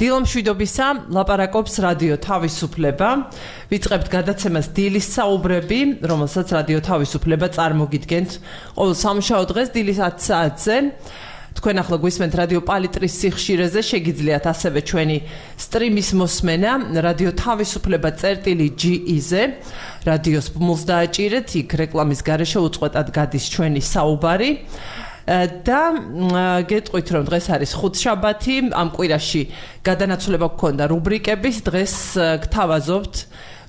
დილომშვიდობისა ლაპარაკობს რადიო თავისუფლება. ვიწყებთ გადაცემას დილის საუბრები, რომელსაც რადიო თავისუფლება წარმოგიდგენთ ყოველ სამუშაო დღეს დილის 10 საათზე. თქვენ ახლა გვისმენთ რადიო პალიტრის სიხშირეზე, შეგიძლიათ ასევე ჩვენი სტრიმის მოსმენა რადიო თავისუფლება.ge-ზე. რადიოს ბმულს დააჭირეთ, იქ რეკლამის გარეშე უწყვეტად გადის ჩვენი საუბარი. და გეტყვით რომ დღეს არის ხუთშაბათი, ამ კვირაში გადანაცვლება გქონდა რუბრიკების, დღეს გთავაზობთ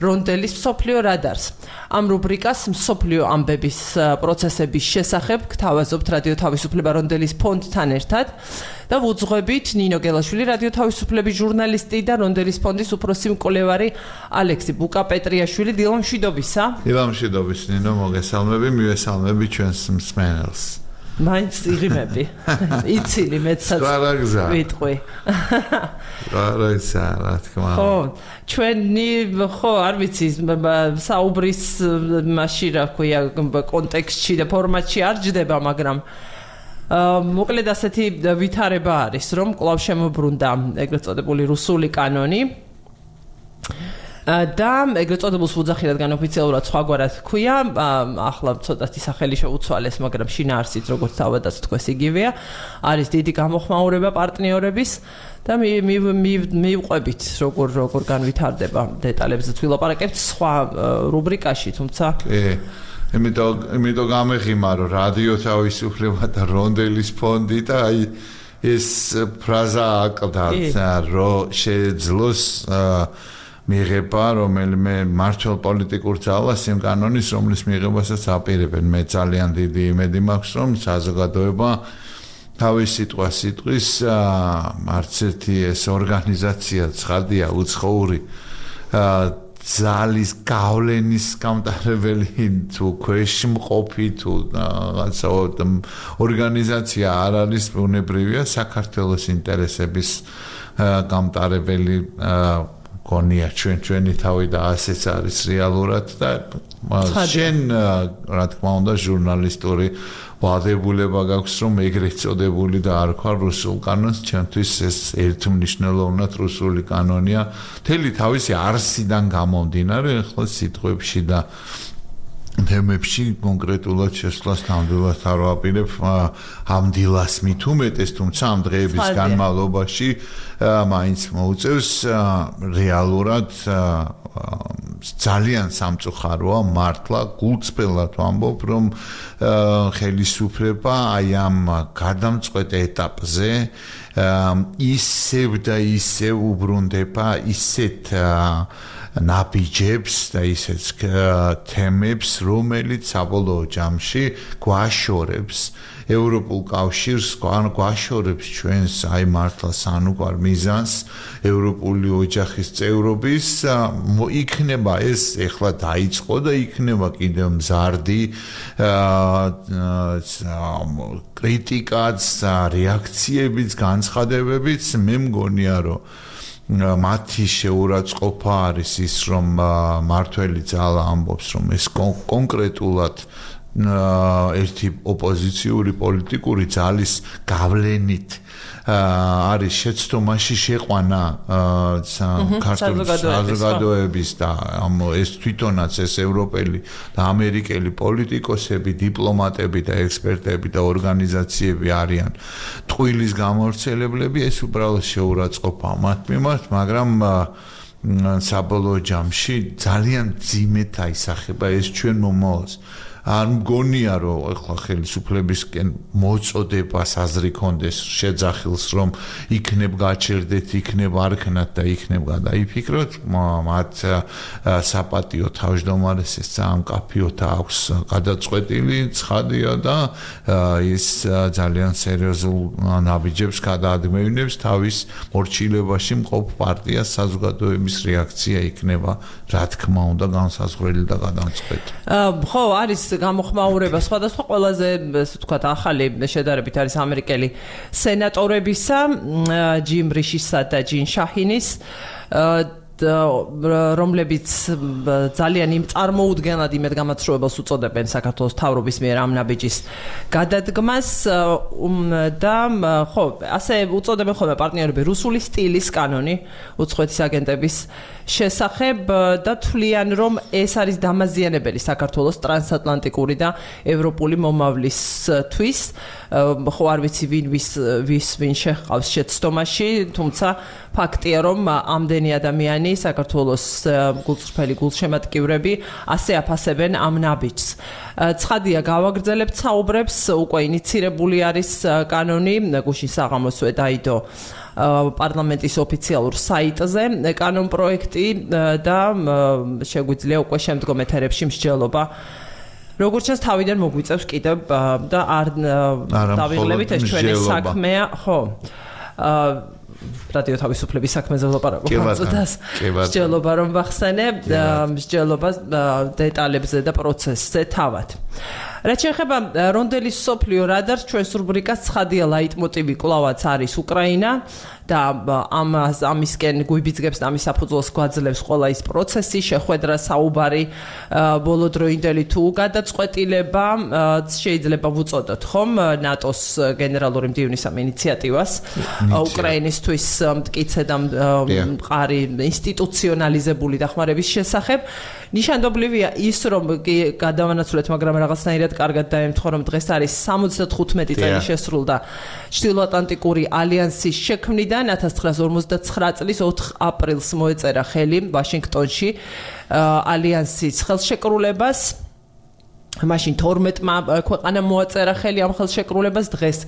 რონდელის მსოფლიო რადარს. ამ რუბრიკას მსოფლიო ამბების პროცესების შესახებ გთავაზობთ რადიო თავისუფლება რონდელის ფონდთან ერთად და ვუძღვებით ნინო გელაშვილი, რადიო თავისუფლების ჟურნალისტი და რონდელის ფონდის უფროსი მკვლევარი ალექსი ბუკა-პეტრიაშვილი. დილომშვიდობისა. დილომშვიდობის ნინო, მოგესალმები, მივესალმები ჩვენს მსმენელს. მაინც იღიმები. იცილი მეცაც ვიტყვი. რა თქმა უნდა. ხო, ჩვენი არ ვიცი, საუბრის მასში რა ქვია, კონტექსტში და ფორმატში არ ჯდება, მაგრამ მოკლედ ასეთი ვითარება არის, რომ კვლავ შემოbrunდა ეგრეთ წოდებული რუსული კანონი. და ეგრეთ წოდებულს ვუძახილად განოფიციალურად სხვაგვარად ქვია, ახლა ცოტათი სახელი შეუცვალეს, მაგრამ შინაარსით როგორც თავადაც თქვეს იგივეა, არის დიდი გამოხმაურება პარტნიორების და მივყვებით როგორ განვითარდება დეტალებზეც ვილაპარაკებთ სხვა რუბრიკაში, თუმცა იმიტომ გამეხიმარო რადიო თავისუფლება და რონდელის ფონდი და აი ეს ფრაზა აკლდათ, რომ შეძლოს მიღება რომელიმე მართლ პოლიტიკურ ძალას იმ კანონის, რომლის მიღებასაც აპირებენ. მე ძალიან დიდი იმედი მაქვს, რომ საზოგადოება თავის სიტყვის არც ერთი ეს ორგანიზაცია ცხადია უცხოური ძალის გავლენის გამტარებელი თუ ქვეშმყოფი თუ რაღაცა ორგანიზაცია არ არის ბუნებრივია საქართველოს ინტერესების გამტარებელი გონია ჩვენი თავი და ასეც არის რეალურად და შენ რა თქმა უნდა ჟურნალისტური ვალდებულება გაქვს რომ ეგრეთ წოდებული და არ ვქვა რუსულ კანონს, ჩემთვის ეს ერთმნიშვნელოვნად რუსული კანონია მთელი თავისი არსიდან გამომდინარე, ახლა სიტყვებში და თემებში კონკრეტულად შესვლას ნამდვილად არ ვაპირებ ამ დილას მით უმეტეს, თუმცა ამ დღეების განმავლობაში მაინც მოუწევს რეალურად ძალიან სამწუხაროა მართლა გულწრფელად ვამბობ, რომ ხელისუფლება აი ამ გადამწყვეტ ეტაპზე ისევ და ისევ უბრუნდება ისეთ ნაბიჯებს და ისეთ თემებს, რომელიც საბოლოო ჯამში გვაშორებს ევროპულ კავშირს, გვაშორებს ჩვენს აი მართლა სანუკვარ მიზანს ევროპული ოჯახის წევრობის. იქნება ეს ეხლა დაიწყო და იქნება კიდევ მზარდი კრიტიკაც, რეაქციებიც, განცხადებებიც. მე მგონია, რომ მათი შეურაცხყოფა არის ის, რომ მართველი ძალა ამბობს, რომ ეს კონკრეტულად ერთი ოპოზიციური პოლიტიკური ძალის გავლენით არის შეცდომაში შეყვანა ქართული საზოგადოების და ეს თვითონაც ეს ევროპელი და ამერიკელი პოლიტიკოსები, დიპლომატები და ექსპერტები და ორგანიზაციები არიან ტყუილის გამავრცელებლები, ეს უბრალოდ შეურაცხყოფაა მათ მიმართ, მაგრამ საბოლოო ჯამში ძალიან ძიმედ აისახება ეს ჩვენ მომავალს. არ მგონია, რომ ახლა ხელისუფლებისკენ მოწოდებას აზრი კონდეს შეძახილს, რომ იქნებ გაჩერდეთ, იქნებ არქნათ და იქნებ გადაიფიქროთ, მათ საპატიო თავმჯდომარეს ეს ძალიან კაფიოთ აქვს გადაწყვეტილი, ცხადია და ის ძალიან სერიოზულ ნაბიჯებს გადაადგმევინებს თავის მორჩილებაში მყოფ პარტიას. საზოგადოების რეაქცია იქნება, რა თქმა უნდა, განსაზღვრელი და გადამწყვეტი. ხო, არის გამოხმაურება სხვადასხვა ყველაზე ასე ვთქვათ ახალი შედარებით არის ამერიკელი სენატორებისა ჯიმ რიშისა და ჯინ შაჰინის რომლებიც ძალიან იმ წარმოუდგენლად იმედ გამაცრუებელს უწოდებენ საქართველოს მთავრობის მიერ ამ ნაბიჯის გადადგმას და ხო ასე უწოდებენ ხოლმე პარტნიორები რუსული სტილის კანონი უცხოეთის აგენტების შესახებ და თვლიან რომ ეს არის დამაზიანებელი საქართველოს ტრანსატლანტიკური და ევროპული მომავლისთვის ხო არ ვიცი ვინ შეჰყავს შეცდომაში თუმცა ფაქტია რომ ამდენი ადამიანი საქართველოს გულწრფელი გულშემატკივრები ასე აფასებენ ამ ნაბიჯს. ცხადია გავაგრძელებთ საუბრებს უკვე ინიცირებული არის კანონი გუშინ საღამოსვე დაიდო პარლამენტის ოფიციალურ საიტზე კანონ პროექტი და შეგვიძლია უკვე შემდგომ ეთერებში მსჯელობა როგორც ჩანს თავიდან მოგვიწევს კიდევ და არ დავიღლებით ეს ჩვენი საქმეა ხო რადიო თავისუფლების საქმეზე ვლაპარაკობ წუთას მსჯელობა რომ ვახსენე მსჯელობა დეტალებზე და პროცესზე თავად რაც შეეხება რონდელის სოფლიო რადარს ჩვენს რუბრიკას ცხადია ლაიტმოტივი კვლავაც არის უკრაინა და ამისკენ გვიბიძგებს და ამის საფუძველს გვაძლევს ყველა ის პროცესი შეხვედრა საუბარი ბოლოდროინდელი თუ გადაწყვეტილება შეიძლება ვუწოდოთ ხომ ნატოს გენერალური მდივნის ამ ინიციატივას უკრაინისთვის მტკიცე და მყარი ინსტიტუციონალიზებული დახმარების შესახებ ნიშანდობლივია ის რომ გადავანაცვლეთ მაგრამ რაღაცნაირად კარგად დაემთხვა რომ დღეს არის 75 წელი შესრულდა ჩრდილოატლანტიკური ალიანსის შექმნიდან 1959 წლის 4 აპრილს მოეწერა ხელი ვაშინგტონში ალიანსის ხელშეკრულებას მაშინ 12-მა ქვეყანამ მოაწერა ხელი ამ ხელშეკრულებას დღეს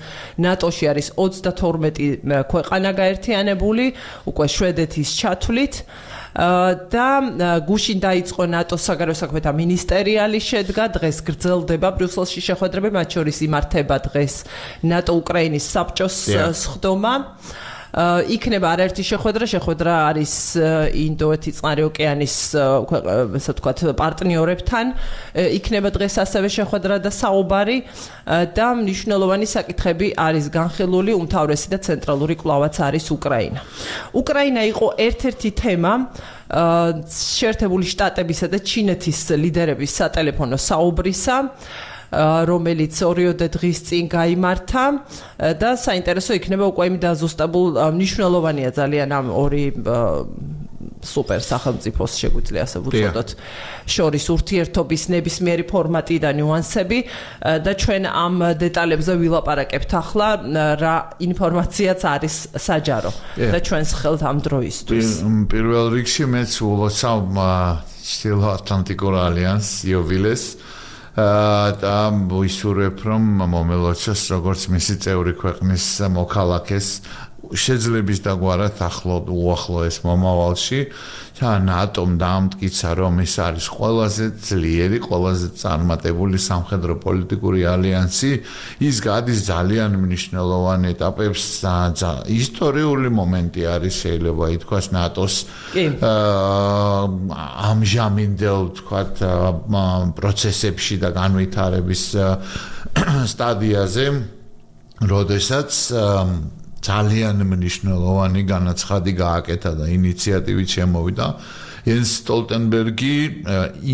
ნატოში არის 32 ქვეყანა გაერთიანებული უკვე შვედეთის ჩათვლით და გუშინ დაიწყო ნატოს საგარეო საქმეთა მინისტერიალი შედგა დღეს გრძელდება ბრიუსელში შეხვედრები მათ შორის იმართება დღეს ნატო უკრაინის საბჭოს სხდომა იქნება არაერთი შეხვედრა არის ინდოეთის წყნარი ოკეანის ესე ვთქვათ პარტნიორებთან იქნება დღეს ასევე შეხვედრა და საუბარი და მნიშვნელოვანი საკითხები არის განხილული უმთავრესი და ცენტრალური კვლავაც არის უკრაინა იყო ერთ-ერთი თემა შეერთებული შტატებისა და ჩინეთის ლიდერების სატელეფონო საუბრისა რომელიც ორიოდე დღის წინ გაიმართა და საინტერესო იქნება უკვე იმ დაზუსტებულ მნიშვნელოვანია ძალიან ამ ორი სუპერ სახელმწიფოს შეგვიძლია ასე ვუწოდოთ შორის ურთიერთობის ნებისმიერი ფორმატი და ნიუანსები და ჩვენ ამ დეტალებზე ვილაპარაკებთ ახლა რა ინფორმაციაც არის საჯარო და ჩვენს ხელთ ამ დროისთვის პირველ რიგში მეც ულოცავ ჩრდილოატლანტიკურ ალიანსს იოვილეს და ვისურვებ რომ მომელოცოს როგორც მისი წევრი ქვეყნის მოქალაქეს შეძლების დაგვარად უახლოეს მომავალში და ნატომ დაამტკიცა რომ ის არის ყველაზე ძლიერი, ყველაზე წარმატებული სამხედრო პოლიტიკური ალიანსი ის გადის ძალიან მნიშვნელოვან ეტაპებს ისტორიული მომენტი არის შეიძლება ითქვას ნატოს ამჟამინდელ ვთქვათ პროცესებში და განვითარების სტადიაზე როდესაც ძალიან მნიშვნელოვანი განაცხადი გააკეთა და ინიციატივით შემოვიდა ენს სტოლტენბერგი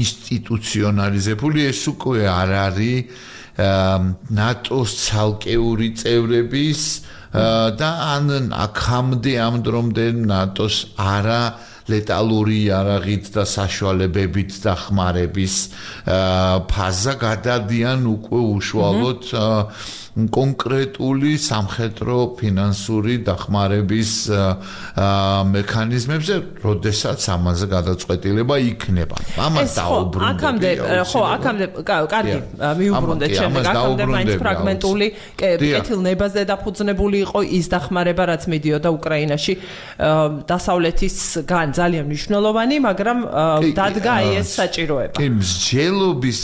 ინსტიტუციონალიზებული ეს უკვე არ არის ნატოს ცალკეული წევრების და ან აქამდე ამ დრომდე ნატოს არა ლეტალური იარაღით და საშუალებებით დახმარების ფაზა გადადიან უკვე უშუალოდ კონკრეტული სამხედრო ფინანსური დახმარების მექანიზმებზე, როდესაც ამაზე გადაწყვეტილება იქნება. ამას დაუბრუნდები. აქამდე კარგი, მიუბრუნდეთ შემდეგ, აქამდე მაინც ფრაგმენტული კეთილნებაზე დაფუძნებული იყო ის დახმარება, რაც მიდიოდა უკრაინაში დასავლეთისგან ძალიან მნიშვნელოვანი, მაგრამ დადგა ეს საჭიროება. მსჯელობის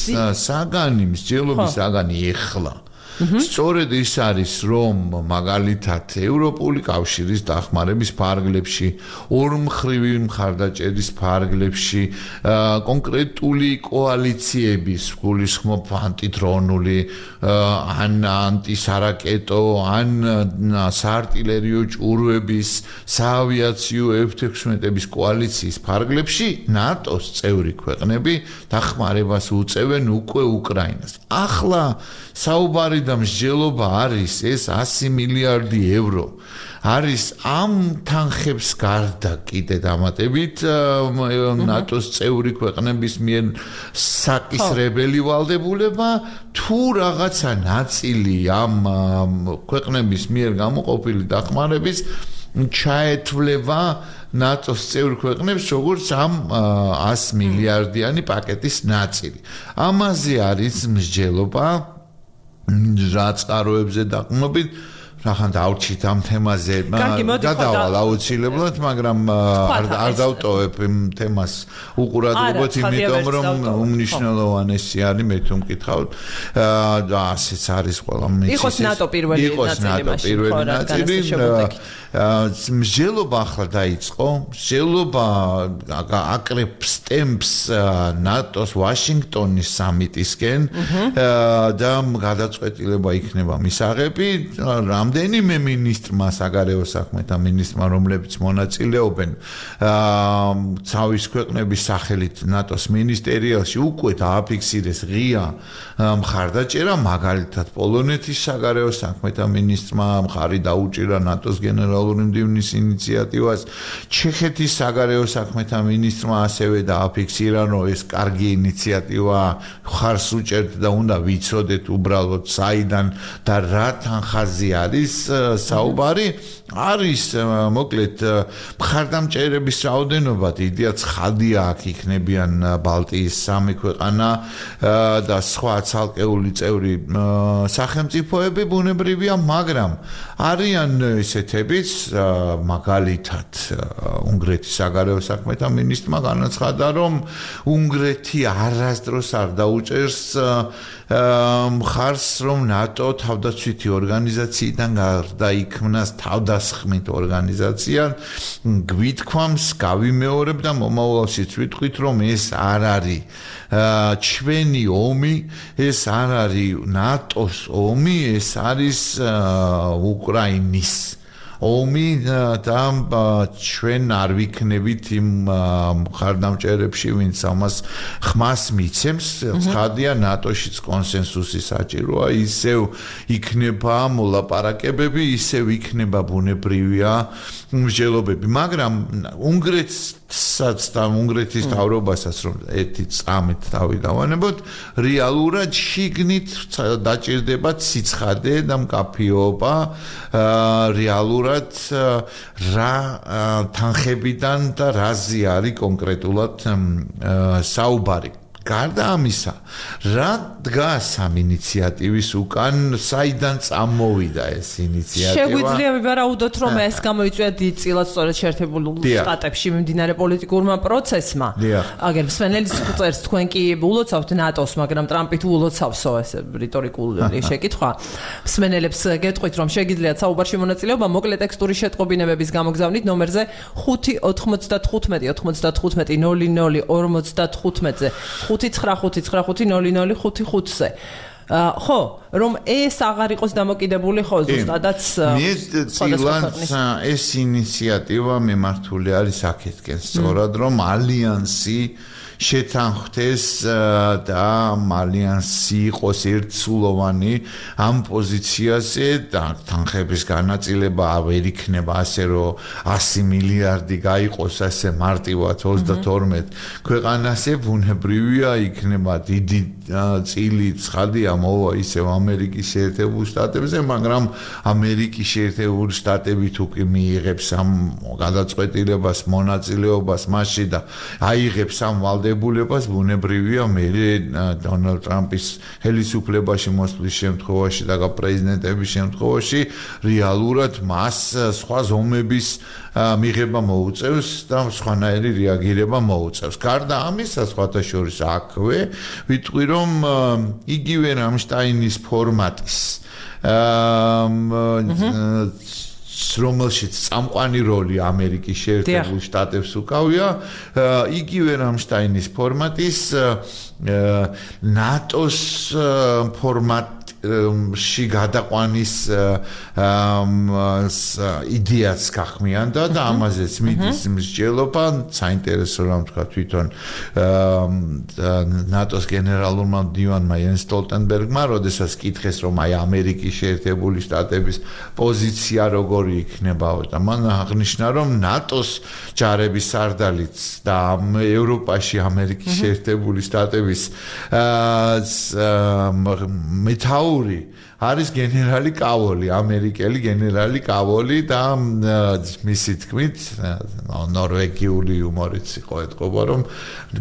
საგანი ეხლა სწორედ ის არის, რომ მაგალითად ევროპული კავშირის დახმარების ფარგლებში, ორმხრივი მხარდაჭერის ფარგლებში, კონკრეტული კოალიციების, გულისხმობ ანტიდრონული, ან ანტისარაკეტო, ან საარტილერიო ჭურვების, საავიაციო F-16-ების კოალიციის ფარგლებში ნატოს წევრი ქვეყნები დახმარებას უწევენ უკვე უკრაინას. ახლა საუბარი და მსჯელობა არის ეს 100 მილიარდი ევრო. არის ამ თანხებს გარდა კიდე დამატებით ნატოს წევრი ქვეყნების მიერ საკისრებელი ვალდებულება თუ რაღაცა ნაწილი ამ ქვეყნების მიერ გამოყოფილი დახმარების ჩაეთვლება ნატოს წევრი ქვეყნებს როგორც ამ 100 მილიარდიანი პაკეტის ნაწილი. ამაზე არის მსჯელობა რა წყაროებზე დაყრდნობით ახან დავჭით ამ თემაზე გადავალ აუცილებლად, მაგრამ არ დავტოვებ იმ თემას უყურადღებოთ, იმიტომ რომ უმნიშვნელოვანესი არის მე თუ მკითხავთ და ასეც არის ყველა მის იყოს ნატო პირველი ნაწილი, მსჯელობა ახლა დაიწყო, მსჯელობა აკრებს ტემპს ნატოს ვაშინგტონის სამიტისკენ და გადაწყვეტილება იქნება მისაღები რამდენიმე მინისტრმა, საგარეო საქმეთა მინისტრმა, რომლებიც მონაწილეობენ ცავის ქვეყნების სახელით ნატოს მინისტერიალში უკვე დააფიქსირეს ღია მხარდაჭერა, მაგალითად პოლონეთის საგარეო საქმეთა მინისტრმა მხარი დაუჭირა ნატოს გენერალური მდივნის ინიციატივას, ჩეხეთის საგარეო საქმეთა მინისტრმა ასევე დააფიქსირა, რომ ეს კარგი ინიციატივა მხარს უჭერთ და უნდა ვიცოდეთ უბრალოდ საიდან და რა თანხაზე არის საუბარი. არის მოკლედ მხარდამჭერების რაოდენობა დიდია, ცხადია აქ იქნებიან ბალტიის 3 ქვეყანა და სხვა ცალკეული წევრი სახელმწიფოები ბუნებრივია, მაგრამ არიან ესეთებიც, მაგალითად უნგრეთის საგარეო საქმეთა მინისტრმა განაცხადა, რომ უნგრეთი არასდროს არ დაუჭერს მხარს, რომ ნატო თავდაცვითი ორგანიზაციიდან გარდაიქმნას თავდასხმით ორგანიზაცია, გვითქვამს, გავიმეორებ და მომავალშიც ვიტყვით, რომ ეს არ არის ჩვენი ომი, ეს არ არის ნატოს ომი, ეს არის უკრაინის ომი და ჩვენ არ ვიქნებით იმ მხარდამჭერებში, ვინც ამას ხმას მიცემს. ცხადია, ნატოშიც კონსენსუსი საჭიროა, ისევ იქნება მოლაპარაკებები, ისევ იქნება ბუნებრივია მსჯელობები, მაგრამ უნგრეთსაც და უნგრეთის მთავრობასაც რომ ერთი წამით თავი დავანებოთ, რეალურად შიგნით დაჭირდება ციცხადე და მკაფიობა, რეალურად რა თანხებიდან და რაზე არის კონკრეტულად საუბარი. გარდა ამისა, რა დგას ამ ინიციატივის უკან, საიდან წამოვიდა ეს ინიციატივა? შეგვიძლია ვივარაუდოთ, რომ ეს გამოიწვია დიდწილად სწორედ შეერთებულ შტატებში მიმდინარე პოლიტიკურმა პროცესმა. აგერ მსმენელის წერს, თქვენ კი ულოცავთ ნატოს, მაგრამ ტრამპი თუ ულოცავსო, ეს რიტორიკული შეკითხვა. მსმენელებს გეტყვით, რომ შეგიძლიათ საუბარში მონაწილეობა მოკლე ტექსტური შეტყობინებების გამოგზავნით ნომერზე 595-95-00-55-ზე 595-95-00-55-ზე. ხო, რომ ეს აღარ იყოს დამოკიდებული ხო ზუსტადაც ეს ინიციატივა მიმართული არის აქეთკენ, სწორად რომ ალიანსი შეთანხმდეს და ალიანსი იყოს ერთსულოვანი ამ პოზიციაზე და თანხების განაწილება ვერ იქნება ასე რომ 100 მილიარდი გაიყოს ასე მარტივად 32 ქვეყანაზე, ბუნებრივია იქნება დიდი წილი ცხადია მოვა ისევ ამერიკის შეერთებულ შტატებზე, მაგრამ ამერიკის შეერთებული შტატები თუ კი მიიღებს ამ გადაწყვეტილებას მონაწილეობას მასში და აიღებს ამ ვალდებულებას ბუნებრივია მე დონალდ ტრამპის ხელისუფლებაში მოსვლის შემთხვევაში და პრეზიდენტების შემთხვევაში რეალურად მას სხვა ზომების მიღება მოუწევს და სხვანაირი რეაგირება მოუწევს. გარდა ამისა, სხვათა შორის აქვე ვიტყვი რომ იგივე რამშტაინის ფორმატის რომელშიც წამყვანი როლი ამერიკის შეერთებულ შტატებს უკავია, იგივე რამშტაინის ფორმატის ნატოს ფორმატში გადაყვანის იდეაც გახმიანდა და ამაზეც მიდის მსჯელობა, საინტერესო რამ თქვა თვითონ ნატოს გენერალურმა მდივანმა იენს სტოლტენბერგმა, როდესაც კითხეს რომ აი ამერიკის შეერთებული შტატების პოზიცია როგორი იქნება და მან აღნიშნა რომ ნატოს ჯარების სარდალიც და ევროპაში ამერიკის შეერთებული შტატების მეთაური არის გენერალი კავოლი, ამერიკელი გენერალი კავოლი და მისი თქმით, ნორვეგიული იუმორიც იყო ეთყობა, რომ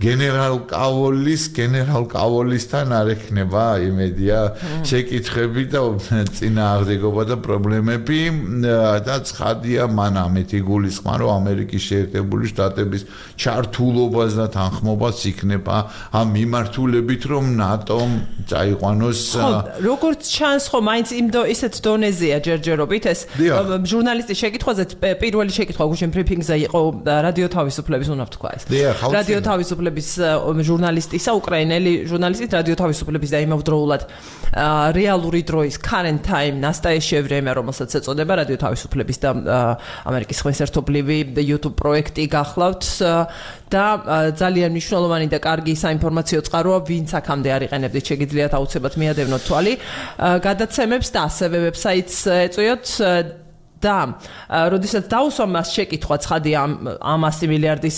გენერალ კაოლისთან არ ექნება იმედია შეკითხები და წინააღმდეგობა და პრობლემები და ცხადია მან ამით იგულისხმა, რომ ამერიკის შეერთებული შტატების ჩართულობას და თანხმობას იქნება ამ მიმართულებით, რომ ნატომ წაიყვანოს როგორც ჩანს ხო მაინც ისეთ დონეზეა ჯერჯერობით ეს ჟურნალისტის შეკითხვაზე პირველი შეკითხვა გუშინ ბრიფინგზე იყო რადიო თავისუფლების უნდა ვთქვა ეს რადიო თავისუფლების ჟურნალისტისა უკრაინელი ჟურნალისტის რადიო თავისუფლების და იმავდროულად რეალური დროის current time ნასტაეშე ევრემია რომელსაც ეწოდება რადიო თავისუფლების და ამერიკის ხმესერთობლივი YouTube პროექტი გახლავთ და ძალიან მნიშვნელოვანი და კარგი საინფორმაციო წყაროა ვინც აქამდე არ იყენებდით შეგიძლიათ აუცილებლად მიადევნოთ თვალი გადაცემებს და ასევე ვებსაიტს ეწვიოთ და როდესაც დაუსვა მას შეკითხვა ცხადია ამ 100 მილიარდის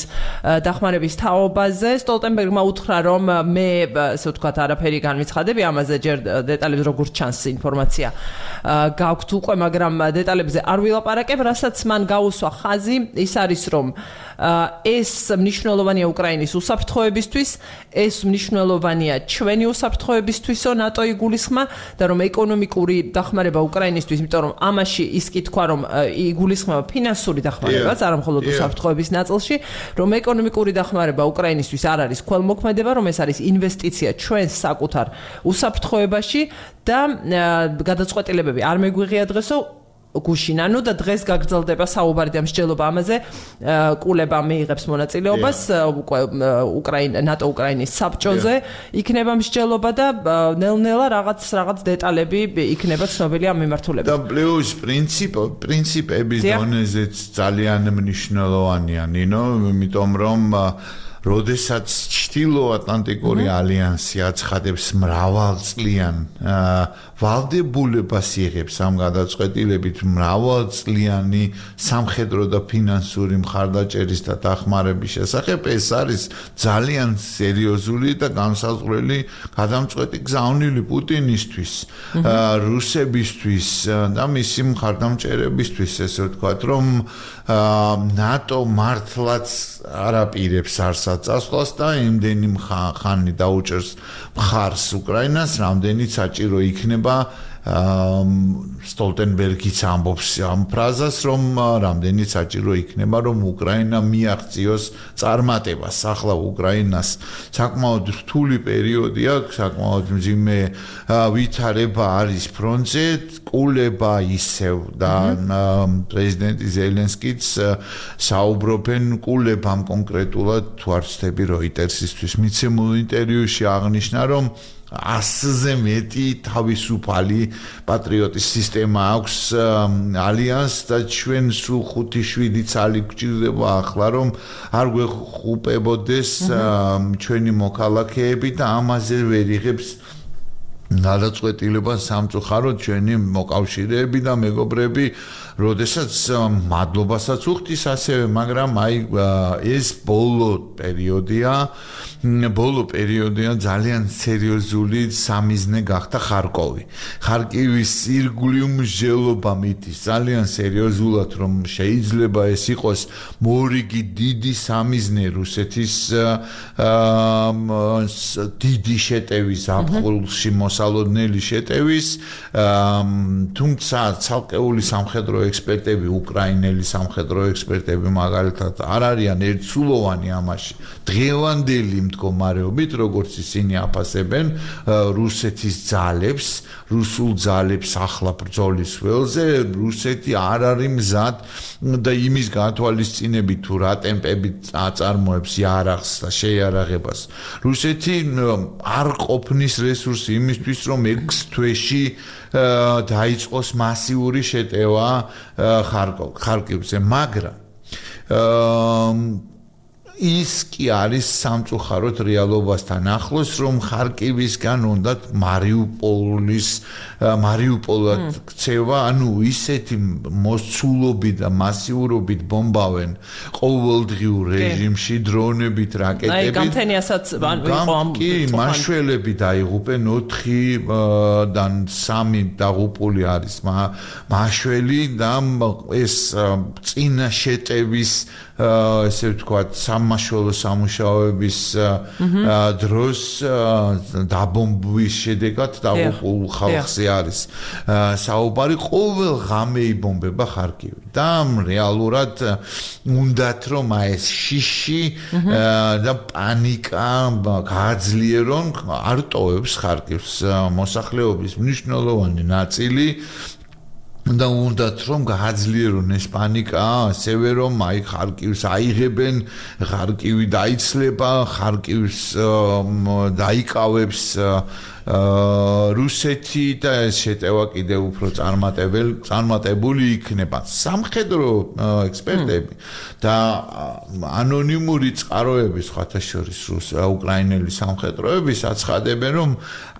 დახმარების თაობაზე სტოლტენბერგმა უთხრა რომ მე ასე ვთქვათ არაფერი განვიცხადები ამაზე ჯერ დეტალებს როგორც ჩანს ინფორმაცია გაქვთ უკვე მაგრამ დეტალებზე არ ვილაპარაკებ რასაც მან გაუსვა ხაზი ის არის რომ ეს მნიშვნელოვანია უკრაინის უსაფრთხოებისთვის ეს მნიშვნელოვანია ჩვენი უსაფრთხოებისთვისო ნატო იგულისხმა და რომ ეკონომიკური დახმარება უკრაინისთვის იმიტომ რომ ამაში ის კი თქვა რომ იგულისხმება ფინანსური დახმარებაც არა მხოლოდ უსაფრთხოების ნაწილში რომ ეკონომიკური დახმარება უკრაინისთვის არ არის ქველმოქმედება რომ ეს არის ინვესტიცია ჩვენს საკუთარ უსაფრთხოებაში და გადაწყვეტილებები არ მეგვიღია დღესო გუშინ ანუ და დღეს გაგრძელდება საუბარი და მსჯელობა ამაზე კულება მიიღებს მონაწილეობას ნატო უკრაინის საბჭოზე იქნება მსჯელობა და ნელ-ნელა რაღაც დეტალები იქნება ცნობილი ამ მიმართულებით და პლუს პრინციპების დონეზეც ძალიან მნიშვნელოვანია ნინო იმიტომ რომ როდესაც ჩრდილოატლანტიკური ალიანსი აცხადებს მრავალწლიან ვალდებულებას იღებს ამ გადაწყვეტილებით მრავალწლიანი სამხედრო და ფინანსური მხარდაჭერის და დახმარების შესახებ ეს არის ძალიან სერიოზული და განსაზღვრელი გადამწყვეტი გზავნილი პუტინისთვის რუსებისთვის და მისი მხარდამჭერებისთვის ესე ვთქვათ რომ ნატო მართლაც არაპირებს არსაწასვლას და იმდენი ხანი დაუჭერს მხარს უკრაინას რამდენიც საჭირო იქნება სტოლტენბერგიც ამბობს ამ ფრაზას რომ რამდენიც საჭირო იქნება რომ უკრაინა მიაღწიოს წარმატებას ახლა უკრაინას საკმაოდ რთული პერიოდი აქვს საკმაოდ მძიმე ვითარება არის ფრონტზე კულება ისევ და პრეზიდენტი ზელენსკიც საუბრობენ კულებამ კონკრეტულად თუ არ ვცდები როიტერსისთვის მიცემულ ინტერვიუში აღნიშნა რომ 100-ზე მეტი თავისუფალი პატრიოტის სისტემა აქვს ალიანსს და ჩვენ სულ 5-7 წალი გვჭირდება ახლა რომ არ გვეხუპებოდეს ჩვენი მოქალაქეები და ამაზე ვერ იღებს გადაწყვეტილებას სამწუხაროდ ჩვენი მოკავშირეები და მეგობრები როდესაც მადლობასაც უხდის ასევე, მაგრამ აი ეს ბოლო პერიოდია ძალიან სერიოზული სამიზნე გახდა ხარკოვი. ხარკივის ირგვლივ მსჯელობა მიდის ძალიან სერიოზულად, რომ შეიძლება ეს იყოს მორიგი დიდი სამიზნე რუსეთის დიდი შეტევის აფხულში მოსალოდნელი შეტევის, თუმცა ცალკეული სამხედრო ექსპერტები, უკრაინელი სამხედრო ექსპერტები მაგალითად არ არიან ერთსულოვანი ამაში. დღევანდელი მდგომარეობით, როგორც ისინი აფასებენ რუსეთის ძალებს, რუსულ ძალებს ახლა ბრძოლის ველზე, რუსეთი არ არის მზად და იმის გათვალისწინებით თუ რა ტემპებით აწარმოებს იარაღს და შეიარაღებას. რუსეთი არ ყოფნის რესურსი იმისთვის, რომ 6 თვეში დაიწყოს მასიური შეტევა ხარკივზე, მაგრამ ის კი არის სამწუხაროდ რეალობასთან ახლოს, რომ ხარკივისგან უნდათ მარიუპოლად ქცევა, ანუ ისეთი მოსცულობით და მასიურობით ბომბავენ ყოველდღიურ რეჟიმში დრონებით, რაკეტებით. აი, გამთენიასაც იყო ამ მაშველები დაიღუპენ 4-დან 3 დაღუპული არის მაშველი და ეს წინა შეტევის ესე ვთქვათ, სამმართველო სამუშაოების დროს დაბომბვის შედეგად დაღუპულ ხალხზე არის საუბარი. ყოველ ღამე იბომბება ხარკივი და რეალურად უნდათ რომ ეს შიში და პანიკა გააძლიერონ, არ ტოვებს ხარკივს მოსახლეობის მნიშვნელოვანი ნაწილი და უნდათ რომ გააძლიერონ ეს პანიკა, ასევე რომ აი ხარკივს აიღებენ, ხარკივი დაიცლება, ხარკივს დაიკავებს რუსეთი და ეს შეტევა კიდევ უფრო წარმატებული იქნება. სამხედრო ექსპერტები და ანონიმური წყაროები, სხვათა შორის უკრაინელი სამხედროების აცხადებენ, რომ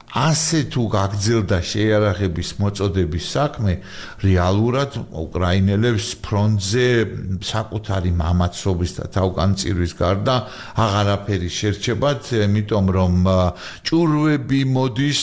ასე თუ გაგრძელდა შეიარაღების მოწოდების საქმე, რეალურად უკრაინელებს ფრონტზე საკუთარი მამაცობის და თავგანწირვის გარდა აღარაფერი შერჩებათ, იმიტომ რომ ჭურვები მოდის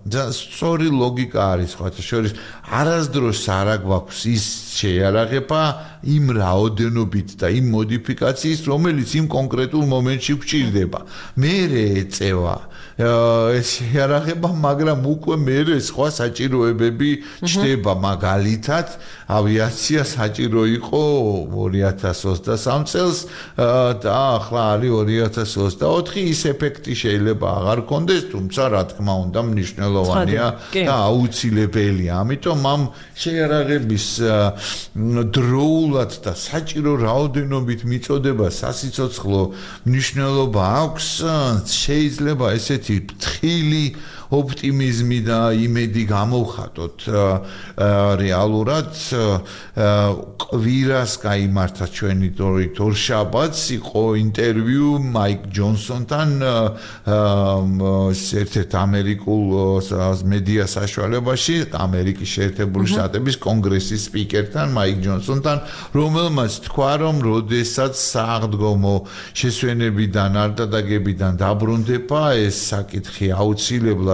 და სწორი ლოგიკა არის, სხვათა შორის არასდროს არ აგვაქვს ის შეიარაღება იმ რაოდენობით და იმ მოდიფიკაციის, რომელიც იმ კონკრეტულ მომენტში გვჭირდება. მერე ეწევა ეს შეიარაღება, მაგრამ უკვე მერე სხვა საჭიროებები ჩდება. მაგალითად, ავიაცია საჭირო იყო 2023 წელს და ახლა არის 2024. ის ეფექტი შეიძლება აღარ კონდეს, თუმცა რა თქმა უნდა მნიშვნელოვანია და აუცილებელია. ამიტომ ამ შეიარაღების დროულად და საჭირო რაოდენობით მიწოდება სასიცოცხლო მნიშვნელობა აქვს. შეიძლება ესეთი ფრთხილი ოპტიმიზმი და იმედი გამოვხატოთ. რეალურად კვირას გაიმართა ჩვენი თორშაბათს იყო ინტერვიუ მაიკ ჯონსონთან ერთ-ერთ ამერიკულ მედია საშუალებაში, ამერიკის შეერთებული შტატების კონგრესის სპიკერთან, მაიკ ჯონსონთან, რომელმაც თქვა, რომ როდესაც საღდგომო შესვენებიდან არ დადაგებიდან დაბრუნდება, ეს საკითხი აუცილებლად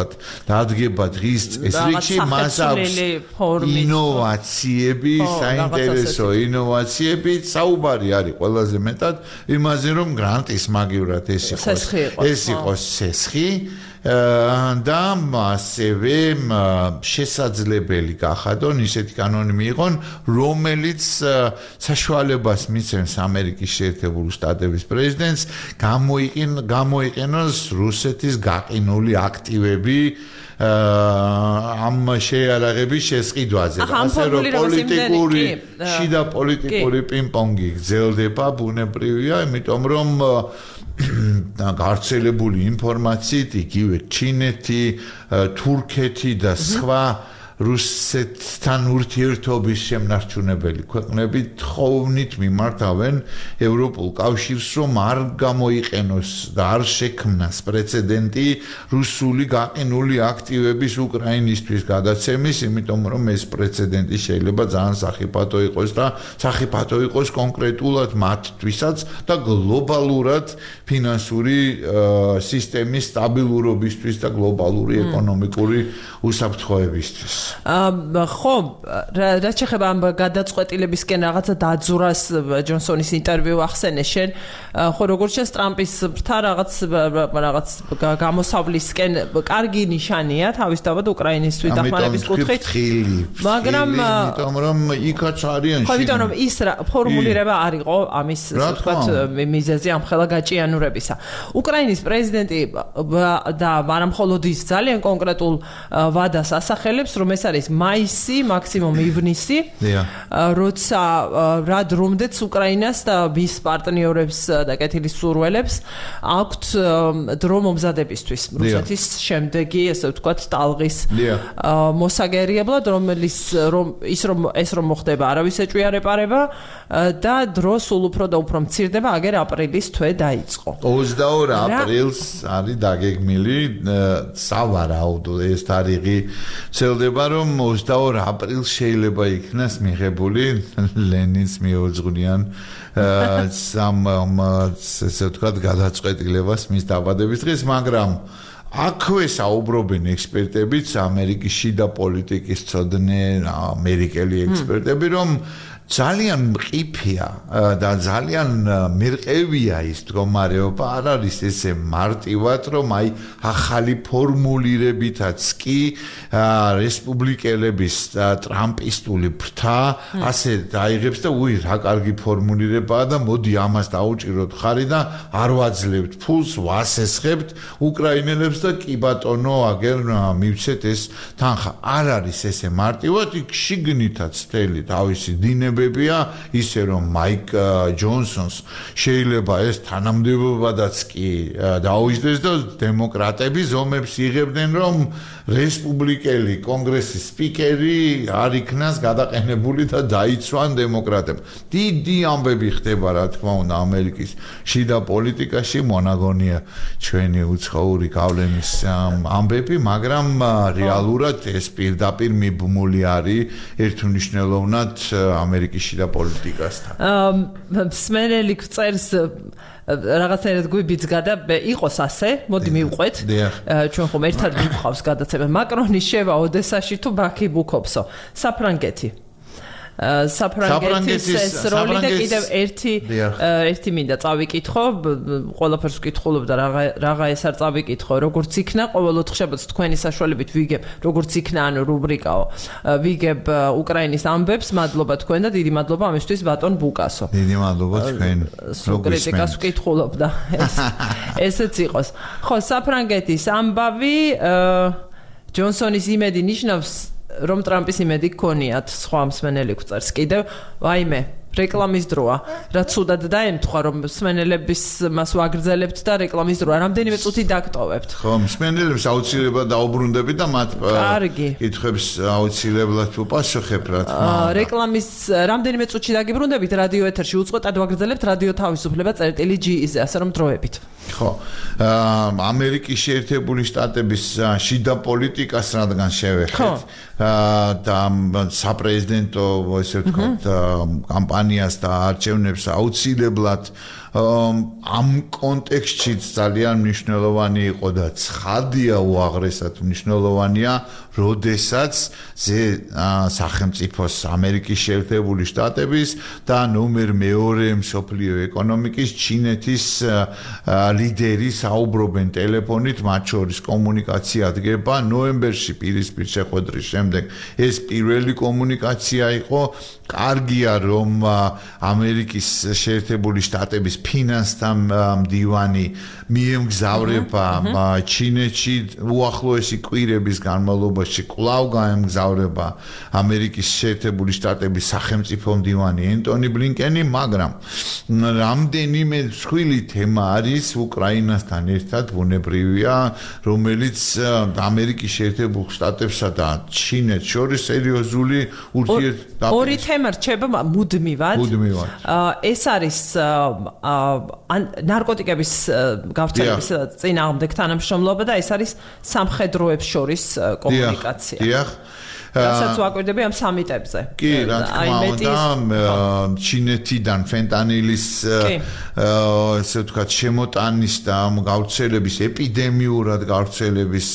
დადგება დღის წესრიგში, მას აქვს ინოვაციები, საინტერესო ინოვაციები, საუბარი არის ყველაზე მეტად იმაზე, რომ გრანტის მაგივრად ეს იყოს ცესხი და ასევე შესაძლებელი გახადონ ისეთი კანონი მიიღონ, რომელიც საშუალებას მისცემს ამერიკის შეერთებული შტატების პრეზიდენტს გამოიყენოს რუსეთის გაყინული აქტივები ამ შეიარაღების შესყიდვაზე. ასე რომ შიდა პოლიტიკური პინგ-პონგი გრძელდება, ბუნებრივია, იმიტომ რომ გავრცელებული ინფორმაციით იგივე ჩინეთი, თურქეთი და სხვა რუსეთთან ურთიერთობის შემნარჩუნებელი ქვეყნები თხოვნით მიმართავენ ევროპულ კავშირს, რომ არ გამოიყენოს და არ შექმნას პრეცედენტი რუსული გაყინული აქტივების უკრაინისთვის გადაცემის, იმიტომ რომ ეს პრეცედენტი შეიძლება ძალიან სახიფათო იყოს და სახიფათო იყოს კონკრეტულად მათთვისაც და გლობალურად ფინანსური სისტემის სტაბილურობისთვის და გლობალური ეკონომიკური უსაფრთხოებისთვის. ხო, რაც შეეხება ამ გადაწყვეტილებისკენ რაღაცა დაძურას ჯონსონის ინტერვიუ ახსენე შენ, ხო როგორც შენ ტრამპის ბრთა რაღაც გამოსავლისკენ კარგი ნიშანია თავისთავად უკრაინისთვის დახმარების კუთხით, მაგრამ იმიტომ რომ იქაც არიან ხო, იმიტომ რომ ის ფორმულირება არ იყო ამის ვთქვათ მიზეზი ამ ხელა გაჭიანურებისა. უკრაინის პრეზიდენტი და არა მხოლოდ ის ძალიან კონკრეტულ ვადას ასახელებს, რომ ეს არის მაისი, მაქსიმუმ ივნისი, როცა რა დრომდეც უკრაინას და მის პარტნიორებს და კეთილისურველებს აქვთ დრო მომზადებისთვის რუსეთის შემდეგი, ესე ვთქვათ, ტალღის მოსაგერიებლად, რომელიც ეს რომ მოხდება, არავის ეჭვი არ ეპარება და დრო სულ უფრო და უფრო მცირდება, აგერ აპრილის თვე დაიწყო. 22 აპრილს არის დაგეგმილი სავარაუდო ეს თარიღი ცელდება, რომ 22 აპრილს შეიძლება იქნას მიღებული ლენინს მიუძღვნიან ესე ვთქვათ გადაწყვეტილებას მის დაბადების დღეს, მაგრამ აქვე საუბრობენ ექსპერტებიც, ამერიკის შიდა პოლიტიკის ცოდნე ამერიკელი ექსპერტები, რომ ძალიან მყიფეა და ძალიან მერყევია ის მდგომარეობა, არ არის ესე მარტივად, რომ აი ახალი ფორმულირებითაც კი რესპუბლიკელების ტრამპისტული ბრთა ასე დაიღებს და უი რა კარგი ფორმულირებაა და მოდი ამას დაუჭიროთ ხარი და არ ვაძლევთ ფულს, ვასესხებთ უკრაინელებს და კი ბატონო აგერ მივცეთ ეს თანხა. არ არის ესე მარტივად, იქ შიგნითაც მთელი თავისი დინები ისე რომ მაიკ ჯონსონს შეიძლება ეს თანამდებობადაც კი დაუჯდეს და დემოკრატები ზომებს იღებდნენ, რომ რესპუბლიკელი კონგრესის სპიკერი არ იქნას გადაყენებული და დაიცვან დემოკრატებმა. დიდი ამბები ხდება, რა თქმა უნდა, ამერიკის შიდა პოლიტიკაში, მონაგონია ჩვენი უცხოური გავლენის ამბები, მაგრამ რეალურად ეს პირდაპირ მიბმული არის ერთმნიშვნელოვნად ამერიკის შიდა პოლიტიკასთან. მსმენელი წერს რაღაცნაირად გვიბიძგა და იყოს ასე, მოდი მივყვეთ. ჩვენ ხომ ერთად მივყავს გადაცემა. მაკრონი შევა ოდესაში თუ ბაქი ბუქობსო. საფრანგეთი. საფრანგეთის როლი და კიდევ ერთი მინდა წავიკითხო, ყველაფერს ვკითხულობდა რაღა ეს არ წავიკითხო, როგორც იქნა, ყოველ ოთხშაბათს თქვენი საშუალებით ვიგებ, როგორც იქნა, ანუ რუბრიკაო, ვიგებ უკრაინის ამბებს, მადლობა თქვენ და დიდი მადლობა ამისთვის ბატონ ბუკასო. დიდი მადლობა თქვენ. კრიტიკას ვკითხულობდა, ესეც იყოს. ხო, საფრანგეთის ამბავი ჯონსონის იმედი ნიშნავს რომ ტრამპის იმედი გქონიათ, სხვა მსმენელი გვწერს კიდევ, ვაიმე, რეკლამის დროა, რაც ცუდად დაემთხვა, რომ მსმენელების მას ვაგრძელებთ და რეკლამის დროა, რამდენიმე წუთი დაგტოვებთ. ხო, მსმენელებს აუცილებლად დაუბრუნდებით და მათ კითხვებს აუცილებლად უპასუხებ, რა თქმა უნდა. რეკლამის რამდენიმე წუთში დაგიბრუნდებით, რადიო ეთერში უწყვეტად ვაგრძელებთ რადიო თავისუფლება წერტილი G-ზე, ასე რომ დროებით. ხო, ამერიკის შეერთებული შტატების შიდა პოლიტიკას რადგან შევეხეთ და საპრეზიდენტო, ესე ვთქვათ, კამპანიას და არჩევნებს აუცილებლად ამ კონტექსტში ძალიან მნიშვნელოვანი იყო და ცხადია უაღრესად მნიშვნელოვანია, როდესაც სახელმწიფოს ამერიკის შეერთებული შტატების და ნომერ მეორე მსოფლიო ეკონომიკის ჩინეთის ლიდერი საუბრობენ ტელეფონით, მათ შორის კომუნიკაცია დგება ნოემბერში პირისპირ შეხვედრის შემდეგ. ეს პირველი კომუნიკაცია იყო. კარგია, რომ ამერიკის შეერთებული შტატების ფინანსთა მდივანი მიემგზავრება ჩინეთში უახლოესი კვირების განმავლობაში კვლავ გაემგზავრება ამერიკის შეერთებული შტატების სახელმწიფო მდივანი ენტონი ბლინკენი, მაგრამ რამდენიმე მსხვილი თემა არის უკრაინასთან ერთად ბუნებრივია, რომელიც ამერიკის შეერთებულ შტატებსა და ჩინეთს შორის სერიოზული ურთიერთდაპირებაა. ორი თემა რჩება მუდმივად. ეს არის ნარკოტიკების გავრცელების წინააღმდეგ თანამშრომლობა და ეს არის სამხედროებს შორის კომუნიკაცია. დიახ. რასაც ვაკვირდები ამ სამიტებზე. კი, რა თქმა უნდა, ჩინეთიდან ფენტანილის ესე ვთქვათ შემოტანის და გავრცელების ეპიდემიურად გავრცელების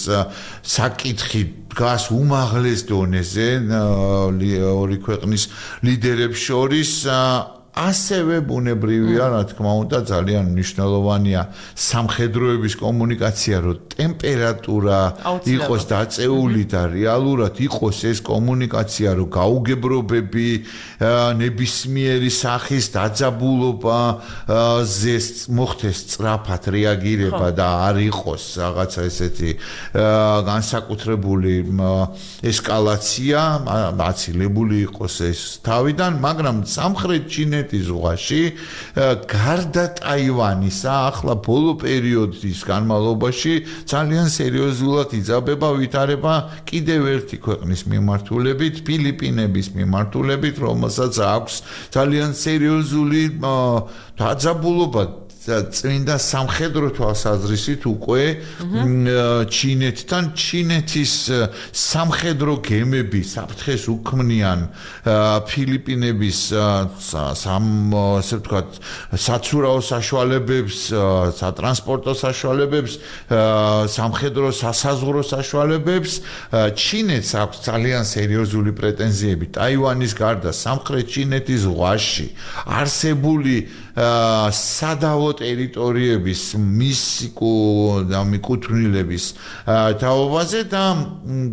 საკითხი დგას უმაღლეს დონეზე ორი ქვეყნის ლიდერებს შორის. ასევე ბუნებრივია, რა თქმა უნდა, ძალიან მნიშვნელოვანია სამხედროების კომუნიკაცია, რომ ტემპერატურა იყოს დაწეული და რეალურად იყოს ეს კომუნიკაცია, რომ გაუგებრობები, ნებისმიერი სახის დაძაბულობა მოხდეს სწრაფად რეაგირება და არ იყოს რაღაცა ესეთი განსაკუთრებული ესკალაცია, აცილებული იყოს ეს თავიდან, მაგრამ სამხრეთ ჩინეთის ზღვაში გარდა ტაივანისა ახლა ბოლო პერიოდის განმავლობაში ძალიან სერიოზულად იძაბება ვითარება კიდევ ერთი ქვეყნის მიმართულებით, ფილიპინების მიმართულებით, რომელსაც აქვს ძალიან სერიოზული დაძაბულობა წმინდა სამხედრო თვალსაზრისით უკვე ჩინეთთან ჩინეთის სამხედრო გემები საფრთხეს უქმნიან ფილიპინების ასე ვთქვათ საცურაო საშუალებებს, სატრანსპორტო საშუალებებს, სამხედრო სასაზღვრო საშუალებებს. ჩინეთს აქვს ძალიან სერიოზული პრეტენზიები ტაივანის გარდა სამხრეთ ჩინეთის ზღვაში არსებული სადავო ტერიტორიების მიკუთვნილების თაობაზე და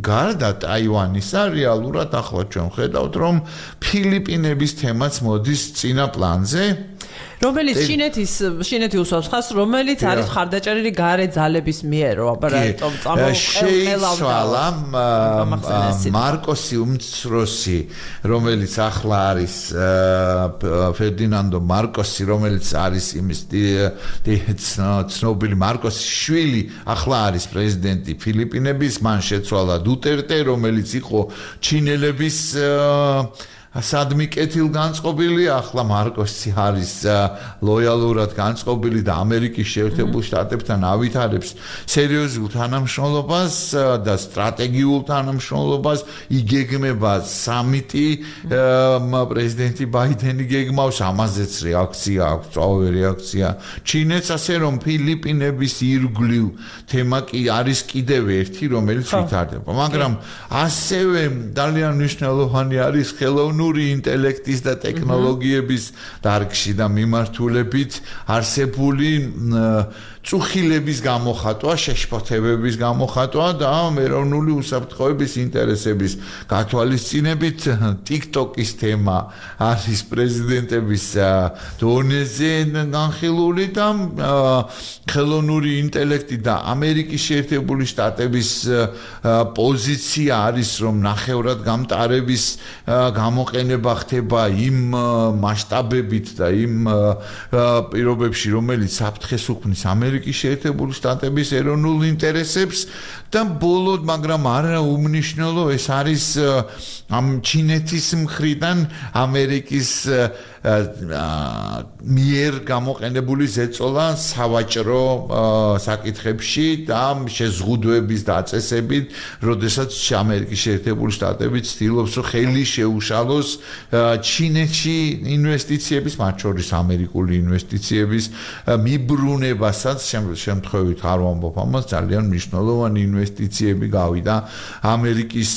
გარდა ტაივანისა რეალურად ახლა ჩვენ ხედავთ რომ ფილიპინების თემაც მოდის წინა პლანზე რომელიც ჩინეთი უსვამს ხას, რომელიც არის ხარდაჭერილი გარე ძალების მიერ, აბარატომ შეიცვალა მარკოსი უმცროსი, რომელიც ახლა არის ფერდინანდო მარკოსი, რომელიც არის იმის ცნობილი მარკოსის შვილი, ახლა არის პრეზიდენტი ფილიპინების, მან შეცვალა დუტერტე, რომელიც იყო ჩინელების სადმი კეთილგანწყობილი, ახლა მარკოსი არის ლოიალურად განწყობილი და ამერიკის შეერთებულ შტატებთან ავითარებს სერიოზულ თანამშრომლობას და სტრატეგიულ თანამშრომლობას. იგეგმება სამიტი, პრეზიდენტი ბაიდენი გეგმავს, ამაზეც რეაქცია აქვს, სწრაფი რეაქცია ჩინეთს, ასე რომ ფილიპინების ირგვლივ თემა კი არის კიდევ ერთი, რომელიც ვითარდება. მაგრამ ასევე ძალიან მნიშვნელოვანი არის ხელოვნური ინტელექტის და ტექნოლოგიების დარგში და მიმართულებით არსებული წუხილების გამოხატვა, შეშფოთებების გამოხატვა და ეროვნული უსაფრთხოების ინტერესების გათვალისწინებით TikTok-ის თემა არის პრეზიდენტების დონეზე განხილული და ხელოვნური ინტელექტი და ამერიკის შეერთებული შტატების პოზიცია არის, რომ ნახევრად გამტარების გამოყენება ხდება იმ მასშტაბებით და იმ პირობებში, რომელიც საფრთხეს უქმნის ამერიკის შეერთებული შტატების ეროვნულ ინტერესებს და ბოლოდ, მაგრამ არა უმნიშვნელო, ეს არის ამ ჩინეთის მხრიდან ამერიკის მიერ გამოყენებული ზეწოლა სავაჭრო საკითხებში და შეზღუდვების დაწესებით, როდესაც ამერიკის შეერთებული შტატები ცდილობს ხელი შეუშალოს ჩინეთში ინვესტიციების, მათ შორის ამერიკული ინვესტიციების მიბრუნებასაც, შემთხვევით არ ვამბობ ამას, ძალიან მნიშვნელოვანი ინვესტიციები გავიდა ამერიკის